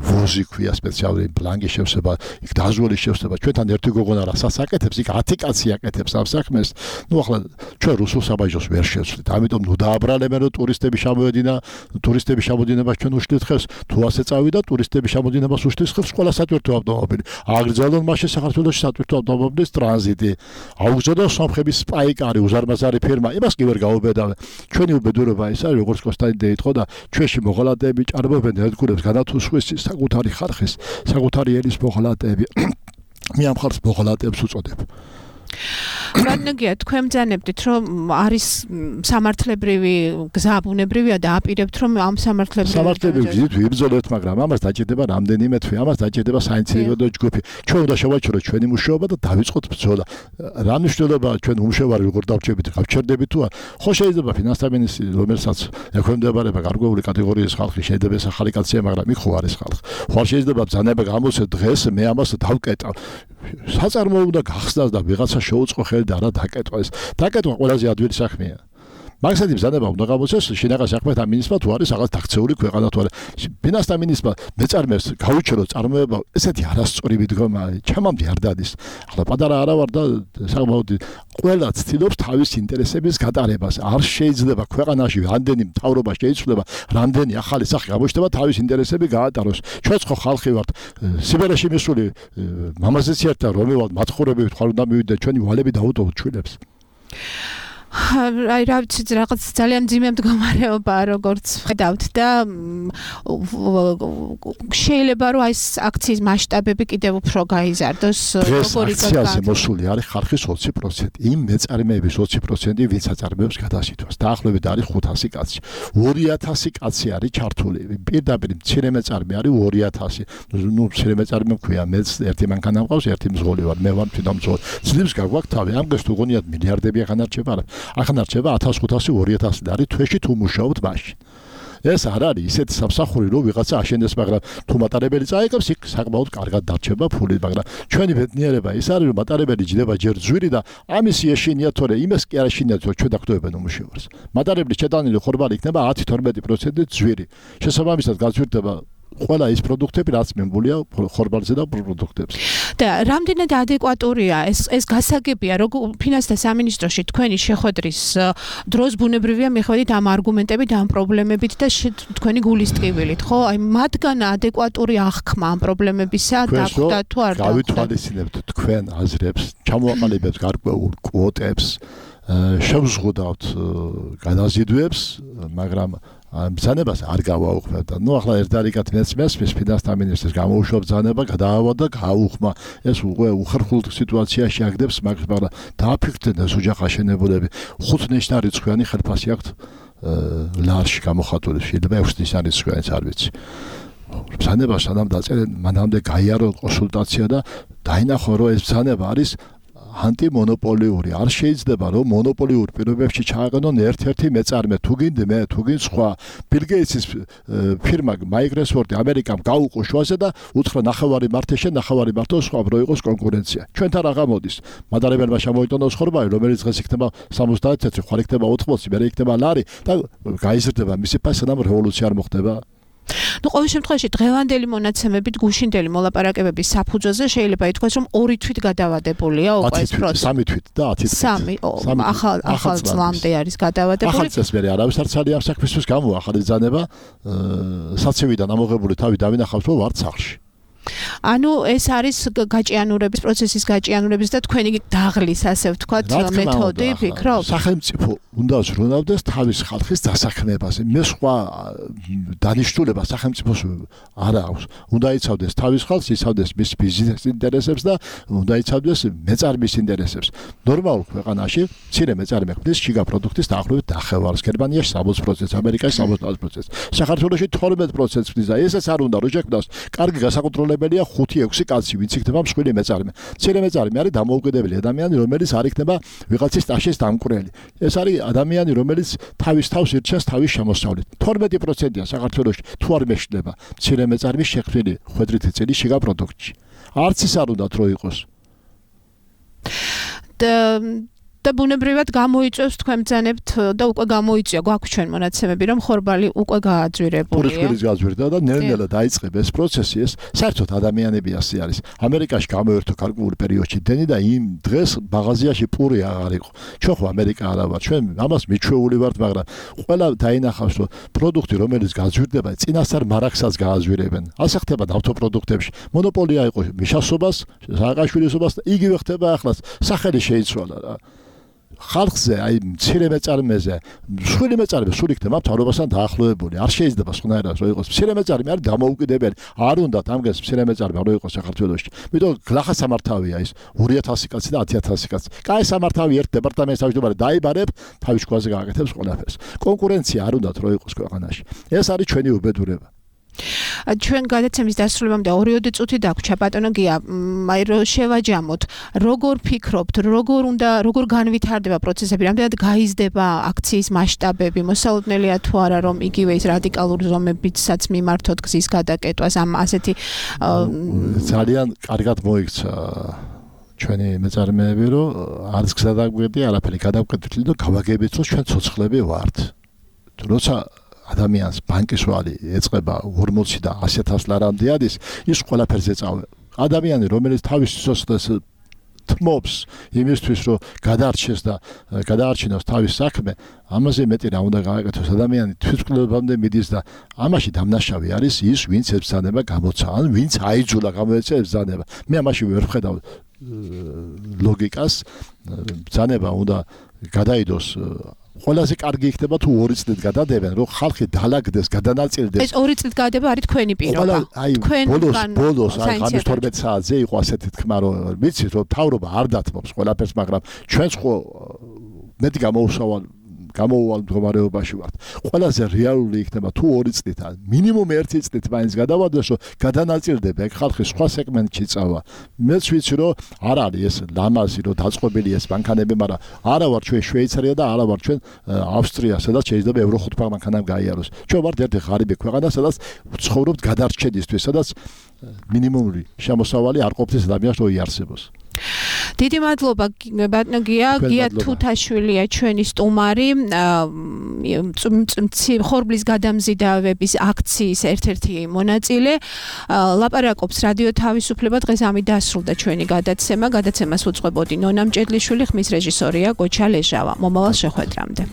ვოზი ქვია სპეციალური ბლანკი შევსება იქ დაზვერვის შევსება ჩვენთან ერთი გოგონა რასაც აკეთებს იქ ათი კაცი აკეთებს ამ საქმეს ნუ ახლა ჩვენ რუსულ საბაჟოს ვერ შევცვლით ამიტომ ნუ დააბრალებენ რომ ტურისტები შემოედინა ტურისტები შემოდინებას ჩვენ უშლით ხელს თუ ასე წავიდა ტურისტები შემოდინებას უშლის ხელს ყველა სატვირთო ავტომობილი აგრძელონ მაშინ საქართველოში სატვირთო ავტომობილის ტრანზიტი აუგზავნოს სომხების სპაიკარი უზარმაზარი ფირმა იმას კი ვერ გაუბედავენ ჩვენი უბედურება ის არის როგორც კონსტანტინე იყო და ჩვენში მოღალატეები ჭარბობენ ერთგულებს განათუსხვის საკუთარი ხარხის საკუთარი ელის მოღალატეები მე ამ ხალხს მოღალატეებს უწოდებ რადგან თქვენ ბრძანებდით რომ არის სამართლებრივი გზაბუნებრივია და აპირებთ რომ ამ სამართლებრივი სამართლებრივი გზით ვიბრძოლოთ მაგრამ ამას დაჭირდება რამდენიმე თვე ამას დაჭირდება საინციდენტო ჯგუფი ჩვენ უნდა შევაჩეროთ ჩვენი მუშაობა და დავიწყოთ ბრძოლა რა მნიშვნელობა ჩვენ უმშევარი როგორ დავჭერებით გავჩერდებით თუ ხო შეიძლება ფინანსთა მინისტრი რომელსაც ექვემდებარება გარკვეული კატეგორიის ხალხი შეიძლება ეს ახალი კაცია მაგრამ იქ ხო არის ხალხი ხო შეიძლება ბრძანება გამოსცე დღეს მე ამას დავკეტავ საწარმო უნდა გახსნას და ვიღაცა შეუწყო ხელი და რა დაკეტვა ეს დაკეტვა ყველაზე ადვილი საქმეა მაგასადი ბრძანება უნდა გამოსცეს შინაგან საქმეთა მინისტრმა თუ არის რაღაც დაქცეული ქვეყანა თუ არა ფინანსთა მინისტრმა მეწარმეებს გაუჩერო წარმოება ესეთი არასწორი მიდგომა ჩემამდე არ დადის ახლა პატარა არა ვარ და საკმაოდ ყველა ცდილობს თავის ინტერესების გატარებას არ შეიძლება ქვეყანაში რამდენი მთავრობა შეიცვლება რამდენი ახალი სახე გამოჩნდება თავის ინტერესები გაატაროს ჩვენც ხო ხალხი ვართ სიბერეში მისული მამაზეც ერთად რომელ მათხოვრები თქვა უნდა მივიდეთ ჩვენი ვალები დაუტოვოთ ჩვილებს აი რა ვიცი რაღაც ძალიან ძიმე მდგომარეობაა როგორც ხედავთ და შეიძლება რომ აი აქციის მასშტაბები კიდევ უფრო გაიზარდოს როგორი აქციაზე მოსული არის ხარხის ოცი პროცენტი იმ მეწარმეების ოცი პროცენტი ვინც აწარმოებს გადასითვას დაახლოებით არის ხუთასი კაცი ორი ათასი კაცი არის ჩართული პირდაპირ მცირე მეწარმე არის ორი ათასი ნუ მცირე მეწარმე მქვია მეც ერთი მანქანა მყავს ერთი მზღოლი ვარ მე ვარ თვითონ მზღოლი ძლივს გაგვაქვს თავი ამ დღეს თუ გონიათ მილიარდები ახანარჩება არა ახანარჩება ათას ხუთასი ორი ათასი და არის თვეში თუ მუშაობთ მაშინ ეს არ არის ისეთი სამსახური რომ ვიღაცა აშენდეს მაგრამ თუ მატარებელი წაიღებს იქ საკმაოდ კარგად დარჩება ფული მაგრამ ჩვენი ბედნიერება ის არის რომ მატარებელი ჯდება ჯერ ძვირი და ამისი ეშინია თორე იმას კი არ ეშინიათ რომ ჩვენ დაგტოვებენ უმუშევარს მატარებლის შეტანილი ხორბალი იქნება ათი თორმეტი პროცენტი ძვირი შესაბამისად გაზვირდება ყველა ის პროდუქტები რაც მემგულია ხორბალზე და პროდუქტებზე. და რამდენად ადეკვატურია ეს ეს გასაგებია როგორ ფინანსთა სამინისტროში თქვენი შეხვედრის დროს ბუნებრივია მიხვედით ამ არგუმენტებით ამ პრობლემებით და თქვენი გულის ტკივილით ხო? აი მათგან ადეკვატური აღქმა ამ პრობლემებისა დახვდა თუ არ დახვდა? გავითვალისწინებთ თქვენ აზრებს, ჩამოაყალიბებთ გარკვეულ კვოტებს, შევზღუდავთ განაზიდვებს, მაგრამ ბრძანებას არ გავაუხმევ და ნუ ახლა ერთდარიგად მეც მესმის ფინანსთა მინისტრის გამოუშვა ბრძანება გადაავა და გააუხმა ეს უკვე უხერხულ სიტუაციაში აგდებს მაგრამ დააფიქრდნენ ეს ოჯახ აშენებულები ხუთ ნიშნარიცხვიანი ხელფასი აქვთ ლარში გამოხატული შეიძლება ექვს ნიშნარიცხვიანიც არ ვიცი ბრძანება სანამ დაწერენ მანამდე გაიარო კონსულტაცია და დაინახო რომ ეს ბრძანება არის ანტიმონოპოლიური არ შეიძლება რომ მონოპოლიურ პირობებში ჩააყენონ ერთ-ერთი მეწარმე თუ გინდ მე თუ გინდ სხვა ბილ გეიტსის ფირმა მაიკროსოფტი ამერიკამ გაუყო შუაზე და უთხრა ნახევარი მართე შენ ნახევარი მართო სხვა რო იყოს კონკურენცია ჩვენთან რა გამოდის მატარებელმა შემოიტანოს ხორბალი რომელიც დღეს იქნება სამოცდაათი წელი ხარ იქნება ოთხმოცი მე იქნება ლარი და გაიზრდება მისი ფასი სანამ რევოლუცია არ მოხდება ну ყოველ შემთხვევაში დღევანდელი მონაცემებით გუშინდელი მოლაპარაკებების საფუძველზე შეიძლება ითქვას რომ ორი თვით გადავადებულია უკვე ეს პროცესი სამი თვით და ათი თვით სამი ახალ ახალ წლამდე არის გადავადებული ახალ წელს მე არავის არ ძალიან საქმისთვის გამო ახალი ბრძანება საცივიდან ამოღებული თავი დავინახავთ რომ ვარ სახლში ანუ ეს არის გაჭიანურების პროცესის გაჭიანურების და თქვენი დაღლის ასე ვთქვათ მეთოდი ფიქრობ სახელმწიფო უნდა ზრუნავდეს თავის ხალხის დასაქმებაზე მე სხვა დანიშნულება სახელმწიფოს არ აქვს უნდა იცავდეს თავის ხალხს იცავდეს მის ბიზნეს ინტერესებს და უნდა იცავდეს მეწარმის ინტერესებს ნორმალურ ქვეყანაში მცირე მეწარმე ქმნის შიგა პროდუქტის დაახლოებით ნახევარს გერმანიაში სამოცი პროცენტი ამერიკაში სამოცდაოთხ პროცენტი საქართველოში თორმეტ პროცენტს ქმნის და ესაც არ უნდა რომ შექმნას კარგი გასაკონტროლებელია ხუთი ექვსი კაცი ვინც იქნება მსხვილი მეწარმე მცირე მეწარმე არის დამოუკიდებელი ადამიანი რომელიც არ იქნება ვიღაცის სტაჟის დამკვირველი ეს არის ადამიანი რომელიც თავის თავს ირჩევს თავის შემოსავლით თორმეტი პროცენტია საქართველოში თუ არ მეშლება მცირე მეწარმის შექმნილი ხვედრითი წილი შიგა პროდუქტში არც ის არ უნდა რო იყოს და ბუნებრივად გამოიწვევს თქვენ ბრძანებთ და უკვე გამოიწვია გვაქვს ჩვენ მონაცემები რომ ხორბალი უკვე გააძვირებულია პურის გააძვირდა და ნელ-ნელა დაიწყება ეს პროცესი ეს საერთოდ ადამიანები ასე არის ამერიკაში გამოერთო გარკვეულ პერიოდში დენი და იმ დღეს მაღაზიაში პური აღარ იყო ჩვენ ხო ამერიკა არა ვარ ჩვენ ამას მიჩვეული ვართ მაგრამ ყველა დაინახავს რომ პროდუქტი რომელიც გააძვირდება წინასწარ მარაგსაც გააძვირებენ ასე ხდება ავტოპროდუქტებში მონოპოლია იყო მიშასობას სააკაშვილისობას და იგივე ხდება ახლაც სახელი შეიცვალა რა ხალხზე აი მცირე მეწარმეზე მსხვილი მეწარმე სულ იქნება მთავრობასთან დაახლოებული არ შეიძლება სხვანაირად რო იყოს მცირე მეწარმე არის დამოუკიდებელი არ უნდა ამგეს მცირე მეწარმე რო იყოს საქართველოში იმიტომ გლახა სამართავია ის ორი ათასი კაცი და ათი ათასი კაცი კაი სამართავი ერთ დეპარტამენტს თავმჯდომარე დაიბარებ თავის შუაზე გააკეთებს ყველაფერს კონკურენცია არ უნდა რო იყოს ქვეყანაში ეს არის ჩვენი უბედურება ჩვენ გადაცემის დასრულებამდე ორიოდე წუთი დაგვჭა ბატონო გია აი რო შევაჯამოთ როგორ ფიქრობთ როგორ უნდა როგორ განვითარდება პროცესები რამდენად გაიზრდება აქციის მასშტაბები მოსალოდნელია თუ არა რომ იგივე ის რადიკალური ზომებიცაც მიმართოთ გზის გადაკეტვას ამ ასეთი ძალიან კარგად მოიქცა ჩვენი მეწარმეები რომ არც გზა დაგვიყვება არაფერი გადავკეთეთ და გავაგებთ რომ ჩვენ ცოცხლები ვართ როცა ადამიანს ბანკის ვალი ეწყება ორმოცი და ასი ათას ლარამდე ადის ის ყველაფერზე წავე ადამიანი რომელიც თავის სიცოცხლეს თმობს იმისთვის რომ გადარჩეს და გადაარჩინოს თავის საქმე ამაზე მეტი რა უნდა გააკეთოს ადამიანი თვითმკვლელობამდე მიდის და ამაში დამნაშავე არის ის ვინც ებრძანება გამოცა ან ვინც აიძულა გამოეცა ებრძანება მე ამაში ვერ ვხედავ ლოგიკას ბრძანება უნდა გადაიდოს ყველაზე კარგი იქნება თუ ორი წლით გადადებენ, რომ ხალხი დაალაგდეს, გადანაწილდეს. ეს ორი წლით გადება არის თქვენი პირობა. თქვენ ბოლოს ბოლოს აი ღამის თორმეტ საათზე იყო ასეთი თქმა, რომ ვიცით რომ თავრობა არ დათმობს ყველაფერს, მაგრამ ჩვენც ხო მეტი გამოუსავალ გამოუვალ მდგომარეობაში ვართ. ყველაზე რეალური იქნება თუ ორი წლით, მინიმუმ ერთი წლით მაინც გადავადეს, რომ გადანაწილდება ეგ ხალხი სხვა სეგმენტში წავა. მეც ვიცი რომ არ არის ეს ლამაზი რომ დაწყობილი ეს ბანკანები, მაგრამ არა ვარ ჩვენ შვეიცარია და არა ვარ ჩვენ ავსტრია, სადაც შეიძლება ევრო ხუთ ბანკანამ გაიაროს. ჩვენ ვართ ერთი ღარიბი ქვეყანა, სადაც ცხოვრობთ გადარჩენისთვის, სადაც მინიმუმური შემოსავალი არ ყოფნის ადამიანს რო იარსებოს. დიდი მადლობა ბატონო გია, გია თუთაშვილია ჩვენი სტუმარი, ხორბლის გადამზიდავების აქციის ერთ-ერთი მონაწილე. ლაპარაკობს რადიო თავისუფლება, დღეს ამით დასრულდა ჩვენი გადაცემა. გადაცემას უძღვებოდი ნონა მჭედლიშვილი, ხმის რეჟისორია გოჩა ლეჟავა. მომავალ შეხვედრამდე.